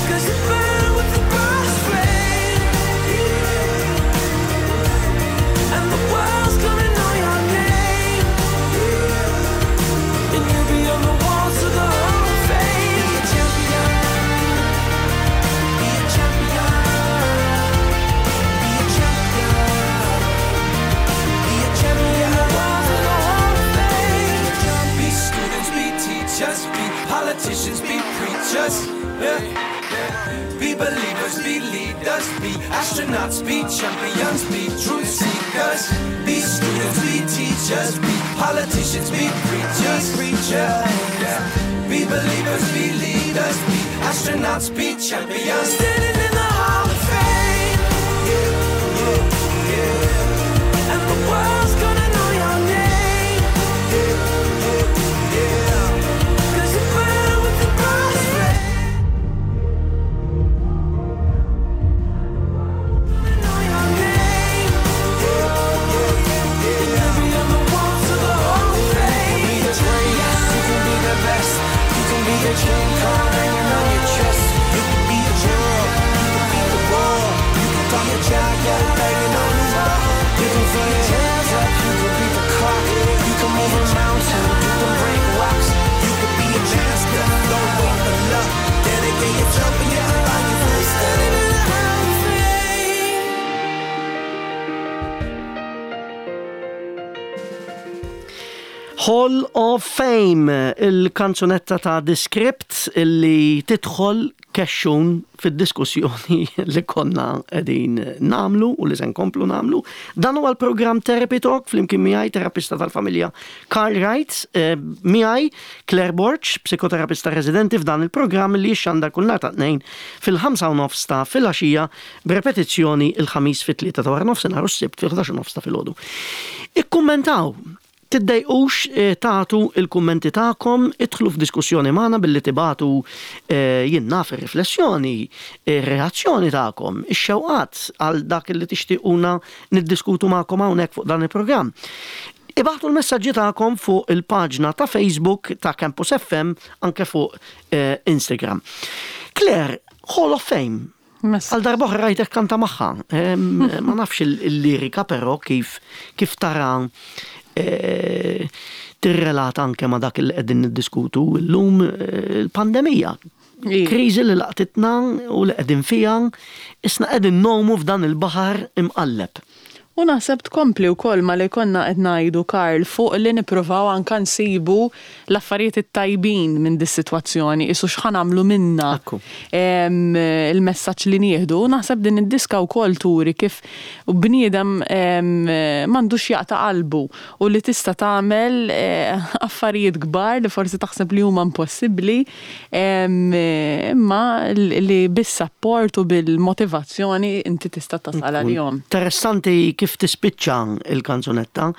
'Cause you burn with the brightest flame. Yeah. And the world's gonna know your name. Yeah. And you'll be on the walls of the Hall of Fame. Be a champion. Be a champion. Be a champion. Be a champion. The walls of the Hall of Fame. Be students, be teachers, be politicians, be preachers. Yeah. Be believers, be leaders, be astronauts, be champions, be truth seekers. Be students, be teachers, be politicians, be preachers. Preachers. Yeah. Be believers, be leaders, be astronauts, be champions. Standing in the Hall of Fame. Yeah, yeah, yeah. And the world's gonna know your name. Yeah, yeah, yeah. 'Cause you burn with the brightest flame. Know your name. Yeah, yeah, yeah. You'll be on the walls of the Hall of Fame. Be the greatest, you can be the best. You can be the King Kong banging on your chest. You can be a world, you can be the world. You can talk to God, go banging on his door. You can throw your hands up, you can beat the clock. You can move a mountain, you can break rocks. You could be a master, don't wait for luck. Dedicate yourself and you can find yourself. Standing in the Hall of Fame. Hall of Fame, il-kanzunetta ta' The Script illi tidħol kexxun fid-diskussjoni li konna qegħdin nagħmlu u li se nkomplu nagħmlu. Dan huwa l-programm Therapy Talk flimkien miegħi terapista tal-familja Carl Wright, eh, miegħi Claire Borg, psikoterapista residenti f'dan il-programm li jixxandar kull nhar ta' tnejn fil-ħamsa u nofs ta' filgħaxija b'repetizzjoni il-ħamis fit-tlieta ta' wara nofsinhar u s-sibt fil-ħdax u nofs ta' filgħodu. Ikkummentaw, tiddejqux eh, tagħtu il-kummenti tagħkom, idħlu f'diskussjoni magħna billi tibagħtu eh, jien naf ir-riflessjoni, ir-reazzjoni tagħkom, ix-xewqat għal dak li tixtiequna niddiskutu magħkom hawnhekk fuq dan il-programm. Ibagħtu l-messaġġi tagħkom fuq il-paġna ta' Facebook ta' Campus F M anke fuq eh, Instagram. Claire, Hall of Fame. Mess. Għal darba oħra rajtek kanta magħha. Em, Ma nafx il- il-lirika però kif kif tara eh, Tirrelata anke ma' dak li qegħdin niddiskutu llum, eh, il-pandemija. Kriżi li laqtitna u li qegħdin fiha, isna qegħdin ngħumu f'dan il-baħar imqalleb. U naħseb tkompli wkoll ma li konna qed ngħidu, Karl, fuq li nippruvaw anka nsibu l-affarijiet it-tajbin minn dis-sitwazzjoni, isu x'ħa nagħmlu minna il-messaġġ li nieħdu. Naħseb din id-diska wkoll turi kif bniedem m'għandux jaqta' qalbu u li tista' tagħmel eh, affarijiet kbar li forsi taħseb li huma impossibbli, imma li bis-sapport u bil-motivazzjoni inti tista' tasal għalihom. Interessanti kif tispiċċa il-kanzunetta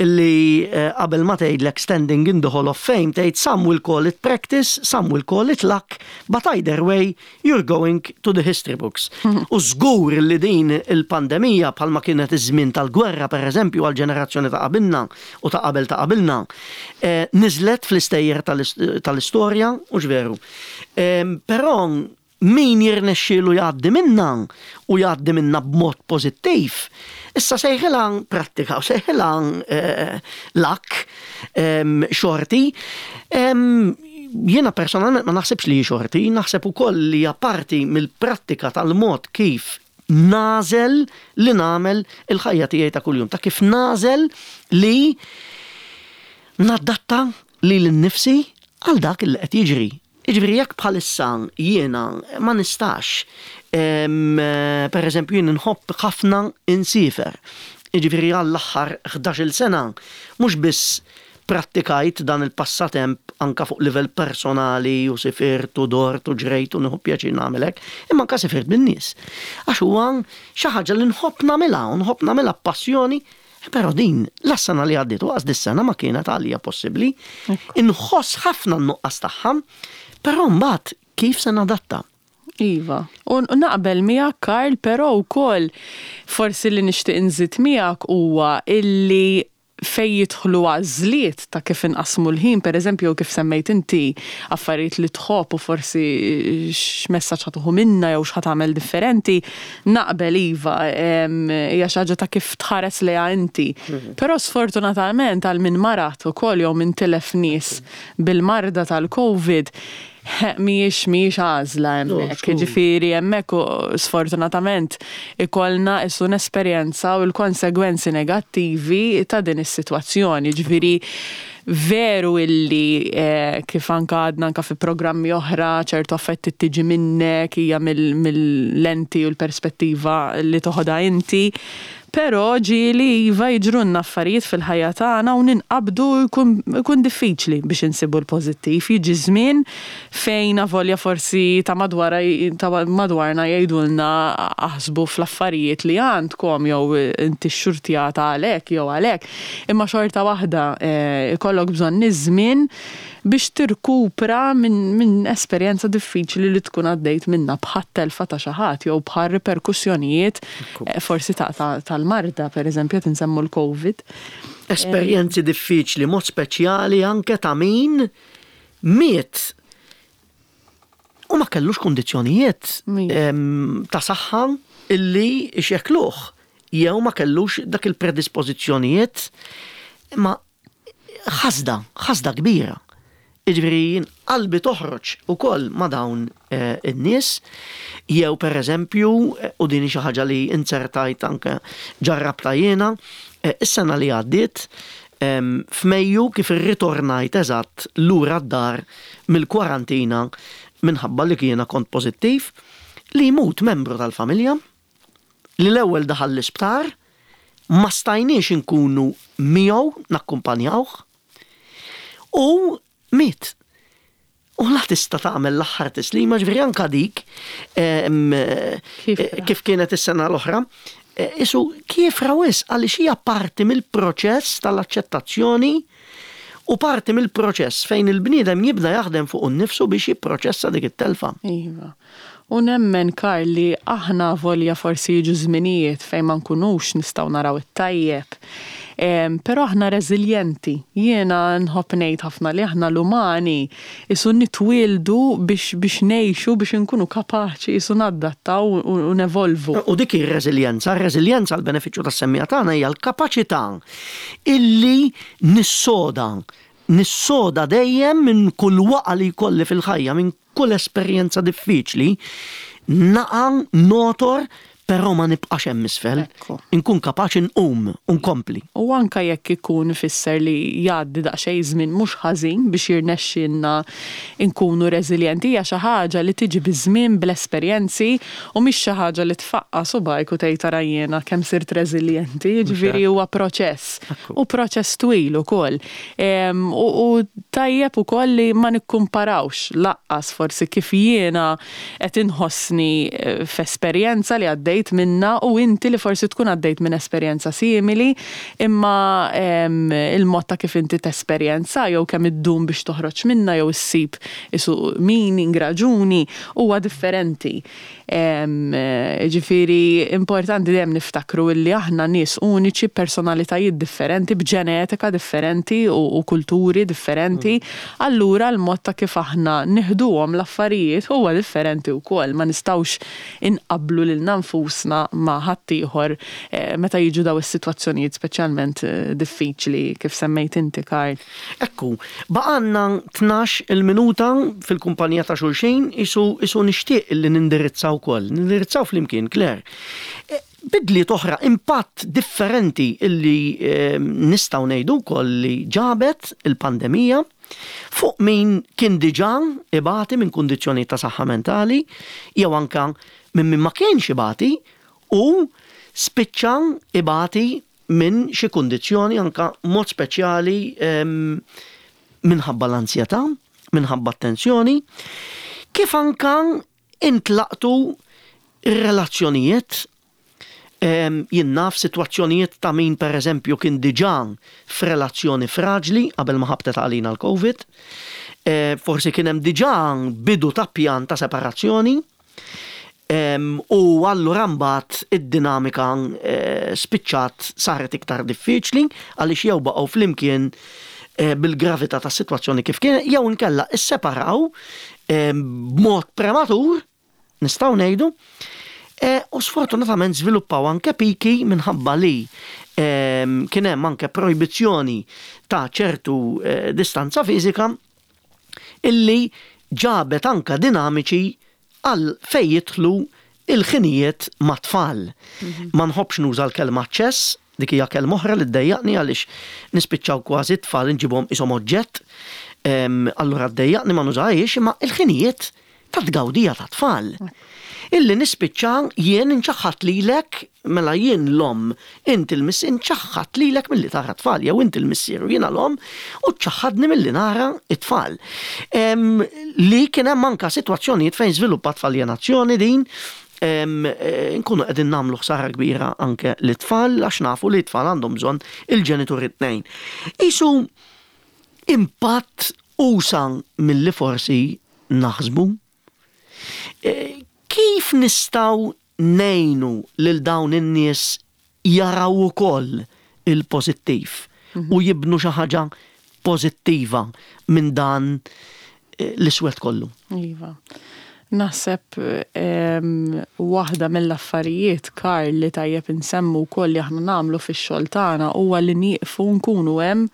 illi eh, qabel ma tgħidlek "Standing in the Hall of Fame", tgħid "Some will call it practice, some will call it luck, but either way you're going to the history books." U żgur li din il-pandemija, bħalma kienet iż-żmien tal-gwerra, pereżempju, għal ġenerazzjoni ta' qabilna u ta' qabel ta' qabilna, eh, niżlet fl-istejjer tal-istorja u veru. Però min jirnexxielu jgħaddi minna u jgħaddi minna b'mod pożittiv, issa sejħilha prattika u sejħilha eh, luck, xorti, jiena personalment ma naħsibx li xorti, naħseb ukoll li hija parti mill-prattika tal-mod kif nagħżel li nagħmel il-ħajja tiegħi ta' kuljum, ta' kif nagħżel li nadatta lili nnifsi għal dak li qed jiġri. Jiġifieri jekk bħalissa jiena ma nistax, per eżempju, jien nħobb ħafna insiefer. Jiġifieri għall-aħħar ħdax-il sena mhux biss prattikajt dan il-passatemp anka fuq livell personali u sifirt u dort u ġrejt u nieħu pjaċir nagħmel hekk, imma anka sifirt bin-nies. Għax huwa xi ħaġa li nħobb nagħmilha u nħobb nagħmilha b'passjoni. Però din, la s-sena li għaddiet u lanqas dis-sena ma kienet għalija possibbli. Inħoss ħafna n-nuqqas tagħha, però mbagħad kif se nadatta? Iva, u naqbel miegħek, Karl, però wkoll forsi li nixtieq inżid miegħek huwa illi fej jidħlu għażliet ta' kif inqasmu l-ħin, per eżempju, kif semmejt inti affarijiet li tħobb u forsi x'messaġġ ħa tieħu minna jew x'ħa tagħmel differenti, naqbel, iva, hija xi ħaġa ta' kif tħares lejha inti. Mhm. Però sfortunatament għal min marad ukoll jew min tilef nies bil-marda tal-Covid, mhijiex mhijiex għażla hemmhekk. Ġifieri hemmhekk sfortunatament ikollna issu nesperjenza u l-konsegwenzi negattivi ta' din is-sitwazzjoni. Ġifieri veru illi eh, kif anka għadna anka fi programmi oħra, ċertu affetti tiġi minnek, hija mill-lenti u l-perspettiva li toħodha inti. Però ġieli, iva, jiġrunna affarijiet fil-ħajja tagħna u ninqabdu, jkun diffiċli biex insibu l-pożittiv. Jiġi żmien fejn avolja forsi ta' madwar ta' madwarna jgħidulna aħsbu fl-affarijiet li għandkom jew inti xxurtjata għalhekk jew għalhekk. Imma xorta waħda eh, ikollok bżonn iż-żmien biex tirkupra minn min esperjenza diffiċli li tkun għaddejt minna, bħat telfa ta' xi ħadd jew bħal riperkussjonijiet eh, forsi tal-marda, per eżempju, qed insemmu l-Covid. Esperjenzi diffiċli, mod speċjali anke ta' min miet u ma kellux kondizzjonijiet ta' saħħa illi xekluh jew ma kellux dak il-predispożizzjonijiet, ma ħasda, ħasda kbira. Jiġifieri qalbi toħroġ ukoll ma' dawn eh, in-nies, jew per eżempju, eh, u din xi ħaġa li inzertajt anke ġarrabta jiena, eh, is-sena li għaddiet f'Mejju, kif irritornajt eżatt lura d-dar mill-kwarantina minħabba li kiena kont pożittiv, li jmut membru tal-familja li l-ewwel daħal l-isptar, ma stajniex inkunu miegħu nakkumpanjawh u miet. U la tista' tagħmel l-aħħar tislima, ġifieri anka dik, eh, kif kienet is-sena l-oħra, eh, isu kiefra wisq, għaliex hija parti mill-proċess tal-aċċettazzjoni u parti mill-proċess fejn il-bniedem jibda jaħdem fuq innifsu biex jipproċessa dik it-telfa. Iva. U nemmen, Karl, li aħna volja forsi jiġu żminijiet fejn ma nkunux nistgħu naraw it-tajjeb. Però aħna reżiljenti. Jiena nħobb ngħid ħafna li aħna l-umani isu nitwieldu biex biex ngħixu, biex inkunu kapaċi isu nadattaw u nevolvu. U dik ir-reżiljenza, ir-reżiljenza għal benefiċċju tas-semmiegħa tagħna hija l-kapaċità illi nissoda Nissoda dejjem minn kull waqa li jkolli fil-ħajja, minn kull esperjenza diffiċli, naqa' notor, però ma nibqax hemm isfel. Ekku. Inkun kapaċi nqum u nkompli. U anka jekk ikun ifisser li jgħaddi daqsxejn żmien mhux ħażin biex jirnexxinna nkunu reżiljenti, hija xi ħaġa li tiġi biż-żmien, bl-esperjenzi, u mhix xi ħaġa li tfaqqa subajk u tgħid, "Ara jiena kemm sirt reżiljenti", jiġifieri huwa proċess. Ekku. U proċess twil ukoll. Em, U u tajjeb ukoll li ma nikkumparawx lanqas forsi kif jiena qed inħossni eh, f'esperjenza li għaddejt minna u inti li forsi tkun għaddejt minn esperjenza simili, imma em, il-mod ta' kif inti tesperjenza jew kemm iddum biex toħroġ minna jew issib isu meaning, raġuni, huwa differenti. Em, eh, Ġifieri importanti dejjem niftakru illi aħna nies uniċi, personalitajiet differenti, b'ġenetika differenti u, u kulturi differenti. Allura l-mod ta' kif aħna nieħduhom l-affarijiet huwa differenti wkoll. Ma nistgħux inqablu lil nfusna ma' ħaddieħor eh, meta jiġu daw is-sitwazzjonijiet speċjalment eh, diffiċli kif semmejt inti, Karl. Ekku, baqgħalna tnax il-minuta fil-kumpanija ta' xulxin, isu, isu nixtieq li nindirizzaw ukoll, nindirizzaw flimkien, Claire. E, Bidliet oħra, impatt differenti illi eh, nistgħu ngħidu wkoll li ġabet il-pandemija fuq min kien diġà ibati minn kundizzjoni ta' saħħa mentali, jew anka minn min ma kienx ibati u spiċċa ibati minn xi kundizzjoni, anka mod speċjali em, minħabba l-ansjetà, minħabba t-tensjoni, kif anka intlaqtu ir-relazzjonijiet, em, jien naf situazzjonijiet ta' min per eżempju kien diġà f'relazzjoni fraġli qabel ma ħabtet għalina l-Covid, eh, forsi kien hemm diġà bidu ta' pjan ta' separazzjoni, Em, u allura mbagħad id-dinamika eh, spiċċat saret iktar diffiċli għaliex jew baqgħu flimkien eh, bil-gravità tas-sitwazzjoni kif kien, jew inkella isseparaw em, b'mod prematur, nistgħu ngħidu, eh, u sfortunatament żviluppaw anke piki minħabba li em, kien hemm anke projbizzjoni ta' ċertu eh, distanza fiżika illi ġabet anka dinamiċi għal fej jidħlu il-ħinijiet ma' tfal. Ma nħobbx nuża l-kelma aċċess, dik hija kelma oħra li ddejjaqni għaliex nispiċċaw kważi tfal inġibhom ishom oġġett. Em, Allura ddejjaqni, ma nużahiex, imma il-ħinijiet ta' tgawdija ta' tfal. Illi nispiċċa jien inċaħħat lilek, mela jien l-om, inti l-missier, inċaħħat lilek milli tara tfal, jew inti l-missier u jiena l-om, u ċaħħadni milli nara it-tfal. Em, Li kien hemm anka sitwazzjonijiet fejn żviluppat f'aljenazzjoni din, em, eh, nkunu qegħdin nagħmlu ħsara kbira anke lit-tfal għax nafu li t-tfal għandhom bżonn il-ġenituri tnejn. Isu impatt usa' milli forsi naħsbu. Eh, Kif nistgħu ngħinu lil dawn in-nies jaraw ukoll il-pożittiv u jibnu xi ħaġa pożittiva minn dan eh, l-iswed kollu? Iva. Naħseb em, waħda mill-affarijiet, Karl, li tajjeb insemmu wkoll li aħna nagħmlu fix-xogħol tagħna huwa li nieqfu nkunu hemm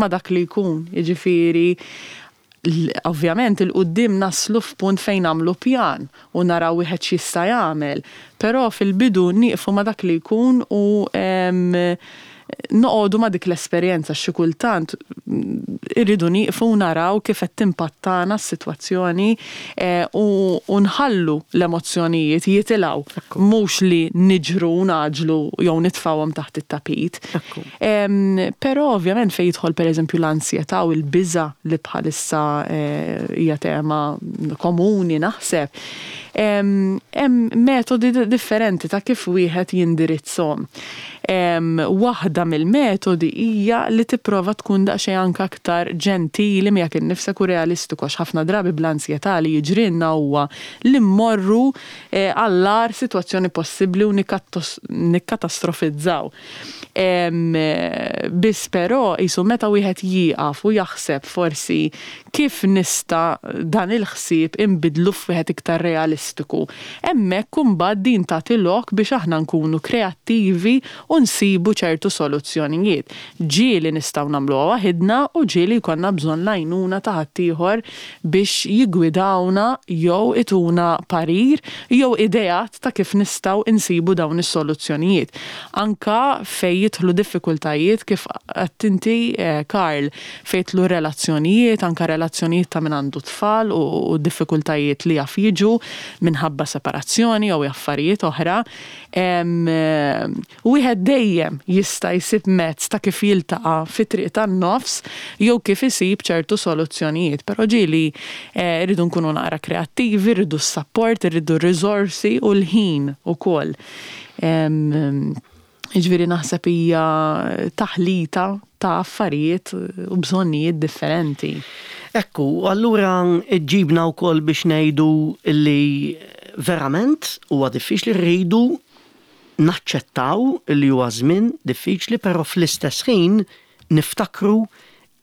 ma' dak li jkun. Jiġifieri l- ovvjament 'il quddiem naslu f'punt fejn nagħmlu pjan u naraw wieħed x'jista' jagħmel, però fil-bidu nieqfu ma' dak li jkun u em, noqogħdu ma' dik l-esperjenza. Xi kultant mm, irridu nieqfu u naraw kif qed timpattana s-sitwazzjoni eh, u u nħallu l-emozzjonijiet jitilgħu, mhux li niġru u ngħaġġlu jew nitfgħuhom taħt it-tapit. Ekku. Em, Però ovvjament fejn jidħol pereżempju l-ansjetà u l-biża li bħalissa eh, hija tema komuni naħseb. Em, Hemm metodi di- differenti ta' kif wieħed jindirizzhom. Em, Waħda mill-metodi hija li tipprova tkun daqsxejn anke aktar ġentili miegħek innifsek u realistiku, għax ħafna drabi bl-ansjetà li jiġrilna huwa li mmorru eh, għall-agħar sitwazzjoni possibbli u nikkattos- nikkatastrofizzaw. Biss però jisu meta wieħed jieqaf u jaħseb forsi kif nista' dan il-ħsieb inbidlu f'wieħed iktar realistiku. Hemmhekk imbagħad din tagħti lok biex aħna nkunu kreattivi u nsibu ċertu soluzzjonijiet. Ġieli nistgħu nagħmluha waħidna u ġieli jkollna bżonn l-għajnuna ta' ħaddieħor biex jiggwidawna jew ituna parir jew ideat ta' kif nistgħu insibu dawn is-soluzzjonijiet. Anka fej jidħlu diffikultajiet, kif għedt inti, eh, Karl, fej jidħlu relazzjonijiet, anka relazzjonijiet ta' min għandu tfal u, u diffikultajiet li jaf jiġu minħabba separazzjoni jew affarijiet oħra. Wieħed dejjem jista' jsib mezz ta' kif jiltaqa' fi triq tan-nofs jew kif isib ċertu soluzzjonijiet. Però ġieli eh, rridu nkunu naqra kreattivi, rridu s-support, rridu r-riżorsi u l-ħin ukoll. Jiġifieri naħseb hija taħlita ta' affarijiet u bżonnijiet differenti. Ekku, allura ġibna wkoll biex ngħidu li verament huwa diffiċli, rridu naċċettaw li huwa żmien diffiċli, però fl-istess ħin niftakru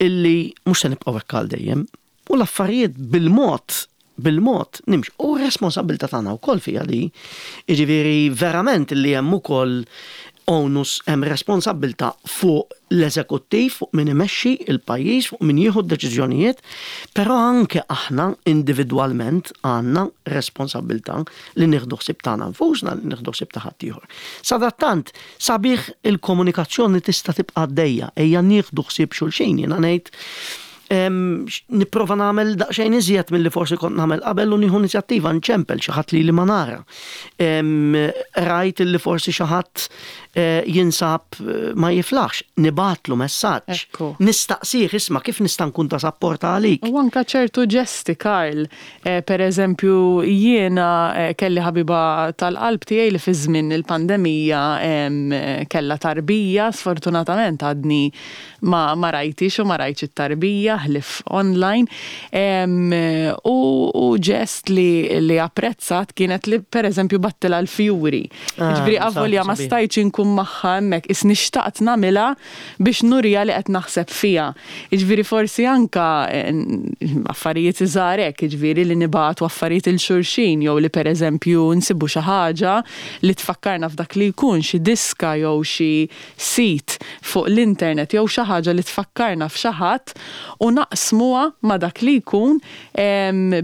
illi mhux se nibqgħu hekk għal dejjem. U l-affarijiet bil-mod bil-mod nimx. U responsabbiltà tagħna wkoll fiha li, jiġifieri verament li hemm ukoll onus, hemm responsabbiltà fuq l-eżekuttiv, fuq min imexxi il-pajjiż, fuq min jieħu d-deċiżjonijiet, però anke aħna individwalment għandna responsabbiltà li nieħdu ħsieb tagħna nfusna, li nieħdu ħsieb ta' ħaddieħor. Sadattant, sabiħ il-komunikazzjoni tista' tibqa' għaddejja, ejja nieħdu ħsieb xulxin, jiena ngħid nipprova nagħmel daqsxejn iżjed milli forsi kont nagħmel qabel u nieħu inizjattiva nċempel xi ħadd li li ma nara. Rajt li forsi xi ħadd eh, jinsab eh, ma jiflaħx, nibgħatlu messaġġ. Nistaqsih, isma', kif nista' nkun ta' support għalik. U anka ċertu ġesti, Karl. Eh, per eżempju, jiena kelli ħabiba tal-qalb tiegħi li fi żmien il-pandemija kellha tarbija, sfortunatament għadni ma, ma rajtix u ma rajtx it-tarbija ħlief online. U, u ġest li, li apprezzat kienet li per eżempju bgħattilha l-fjuri. Ah, Ġifieri avolja ma stajtx inkun magħha hemmhekk, isni xtaqt nagħmilha biex nurija li qed naħseb fija. Jiġifieri forsi anka affarijiet iżgħar hekk, jiġifieri li nibagħtu affarijiet lil xulxin jew li per eżempju nsibu xi ħaġa li tfakkarna f'dak li jkun, xi diska jew xi sit fuq l-internet jew xi ħaġa li tfakkarna f'xi ħadd u naqsmuha ma' dak li jkun,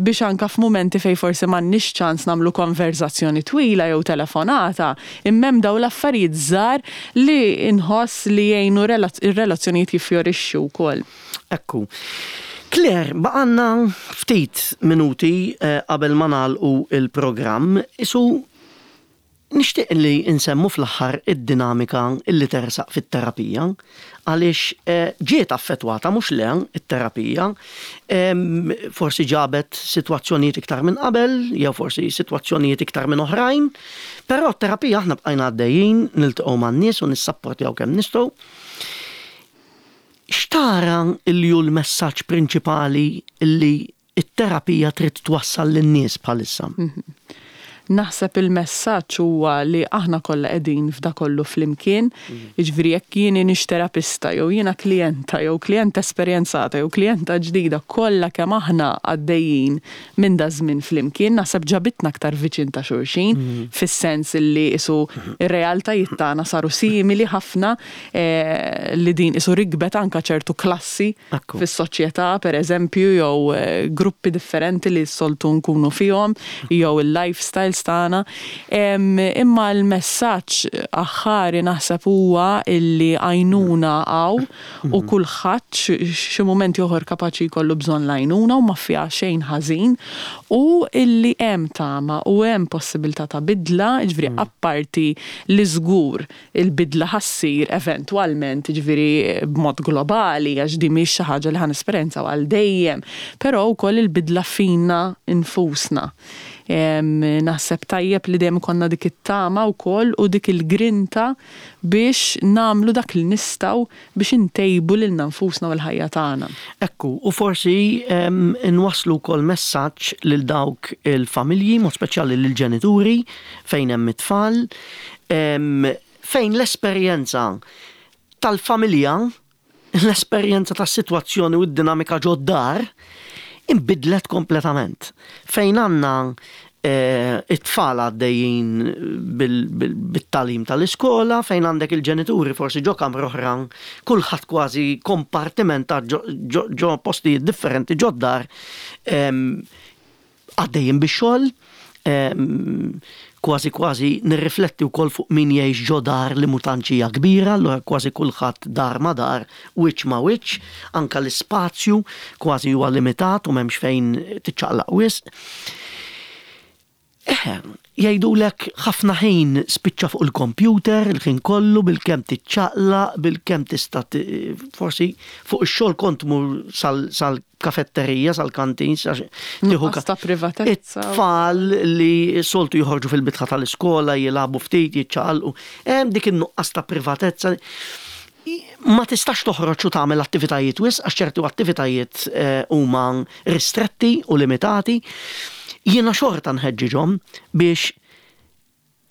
biex anka f'mumenti fej forsi m'għandniex ċans nagħmlu konverzazzjoni twila jew telefonata, imma hemm dawn l-affarijiet żgħar li nħoss li jgħinu ir-relazzjonijiet jiffjorixxu wkoll. Ekku. Claire, baqgħalna ftit minuti eh, qabel ma nagħlqu il-programm, isu nixtieq li nsemmu fl-aħħar id-dinamika illi tersaq fit-terapija, għaliex eh, ġiet affettwata, mhux le, it-terapija, forsi ġabet sitwazzjonijiet iktar minn qabel, jew forsi sitwazzjonijiet iktar minn oħrajn, però t-terapija aħna bqajna għaddejjin, niltaqgħu man-nies u nissapportjaw kemm nistgħu. X'tara li hu l-messaġġ prinċipali illi it-terapija trid twassal lin-nies bħalissa? Mhm. Naħseb il-messaġġ huwa li aħna kollha qegħdin f'da kollu flimkien, mhm. jiġifieri jekk jien nix terapista jew jiena klijenta jew klijenta esperjenzata jew klijenta ġdida, kollha kemm aħna għaddejjin minn da żmien flimkien, naħseb ġabitna aktar viċin ta' xulxin, mhm. fis-sens li isu ir-realtajiet tagħna saru simili ħafna, eh, li din isu rikbet anka ċertu klassi fis-soċjetà, per eżempju, jew eh, gruppi differenti li s-soltu nkunu fihom, jew il-lifestyles tagħna. Imma l-messaġġ aħħari naħseb huwa illi għajnuna hawn u mhm. kulħadd xi mument ieħor kapaċi jkollu bżonn l-għajnuna u ma fiha xejn ħażin u illi hemm tama u hemm possibilità ta' bidla, jiġifieri mm. apparti li żgur il-bidla ħa ssir eventwalment, jiġifieri b'mod globali, għax di mhix xi ħaġa li ħa nesperjenzaw għal dejjem, però wkoll il-bidla fina infusna. Naħseb tajjeb li dejjem konna dik it-tama wkoll u dik il-grinta biex nagħmlu dak li nistgħu biex intejbu lilna nfusna u l-ħajja tagħna. Ekku, u forsi nwasslu wkoll messaġġ lil dawk il-familji, mod speċjali lil ġenituri fejn hemm it-tfal, fejn l-esperjenza Tal-familja, l-esperjenza tas-sitwazzjoni u d-dinamika ġod-dar imbidlet kompletament. Fejn għandna eh, it-tfal għaddejjin bit-tagħlim tal-iskola, fejn għandek il-ġenituri forsi ġo kamra oħra, kulħadd kważi kompartimenta ġo postijiet differenti ġod-dar, għaddejjin bix-xogħol, kważi kważi nirrifletti wkoll fuq min jgħix ġo dar li mhux hija kbira, allura kważi kulħadd dar ma dar, wiċċ ma wiċċ, anka l-ispazju kważi huwa limitat u m'hemmx fejn tiċċaqlaq wisq. Eħe, jgħidulek ħafna ħin spiċċa fuq il-computer, il-ħin kollu, bil-kemm tiċċaqlaq, bil-kemm tista' forsi fuq ix-xogħol kont mur sal-kafetterija, sal-kantin, tieħu ta' privatezza. It-tfal li soltu joħorġu fil-bitħa tal-iskola, jilagħbu ftit, jiċċaqalqu. Hemm dik in-nuqqas ta' privatezza. Ma tistax toħroġ u tagħmel attivitajiet wisq għax ċertu attivitajiet eh, huma ristretti u limitati. Jiena xorta nħeġġiġhom biex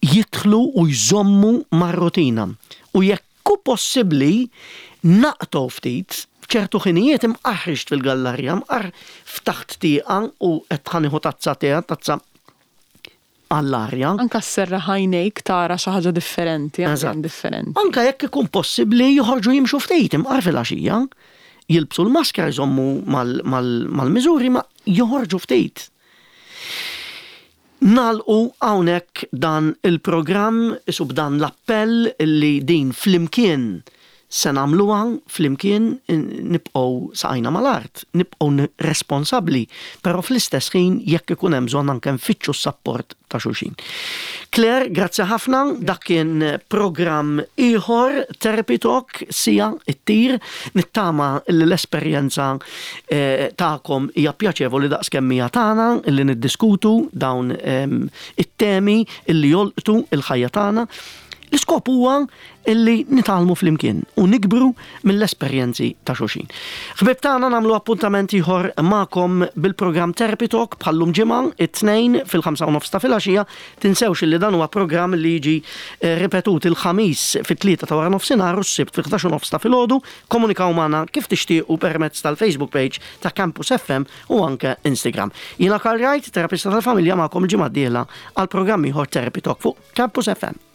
jidħlu u jżommu mar-rutina. U jekk hu possibbli naqtgħu ftit ċertu ħinijiet, imqar ħriġt fil-gallerja, imqar ftaħt tieqa u qed ħa nieħu tazza te, tazza għall-arja. Anka sserraħ għajnejk, tara xi ħaġa differenti, differenti. Anka jekk ikun possibbli joħorġu jimxu ftit imqar fil-għaxija, jilbsu l-maskra, jżommu mal-miżuri, ma joħorġu ftit. Nagħlqu hawnhekk dan il-programm isu b'dan l-appell li din flimkien se nagħmluha, flimkien nibqgħu saqajna mal-art, nibqgħu responsabbli, però fl-istess ħin jekk ikun hemm bżonn anke nfittxu s-sapport ta' xulxin. Claire, grazzi ħafna, dak kien programm ieħor Therapy Talk, siegħa ttir, nittama li l-esperjenza eh, tagħkom hija pjaċevoli daqs kemm hija tagħna illi niddiskutu dawn ehm, it-temi illi jolqtu il-ħajja tagħna. L-iskop huwa illi nitgħallmu flimkien u nikbru mill-esperjenzi ta' xulxin. Ħbib tagħna, nagħmlu appuntament ieħor magħkom bil-programm Therapy Talk bħallum ġimgħa it-Tnejn fil-ħamsa u nofs ta' filgħaxija. Tinsewx li dan huwa programm li jiġi eh, ripetut il-Ħamis fit-tlieta ta' wara nofsinhar u s-Sibt fil-ħdax u nofs ta' filgħodu. Komunikaw magħna kif tixtiequ permezz tal-Facebook page ta' Campus F M u anke Instagram. Jiena Karl Wright, terapista tal-familja, magħkom il-ġimgħa d-dieħla għal programm ieħor Therapy Talk fuq Campus F M.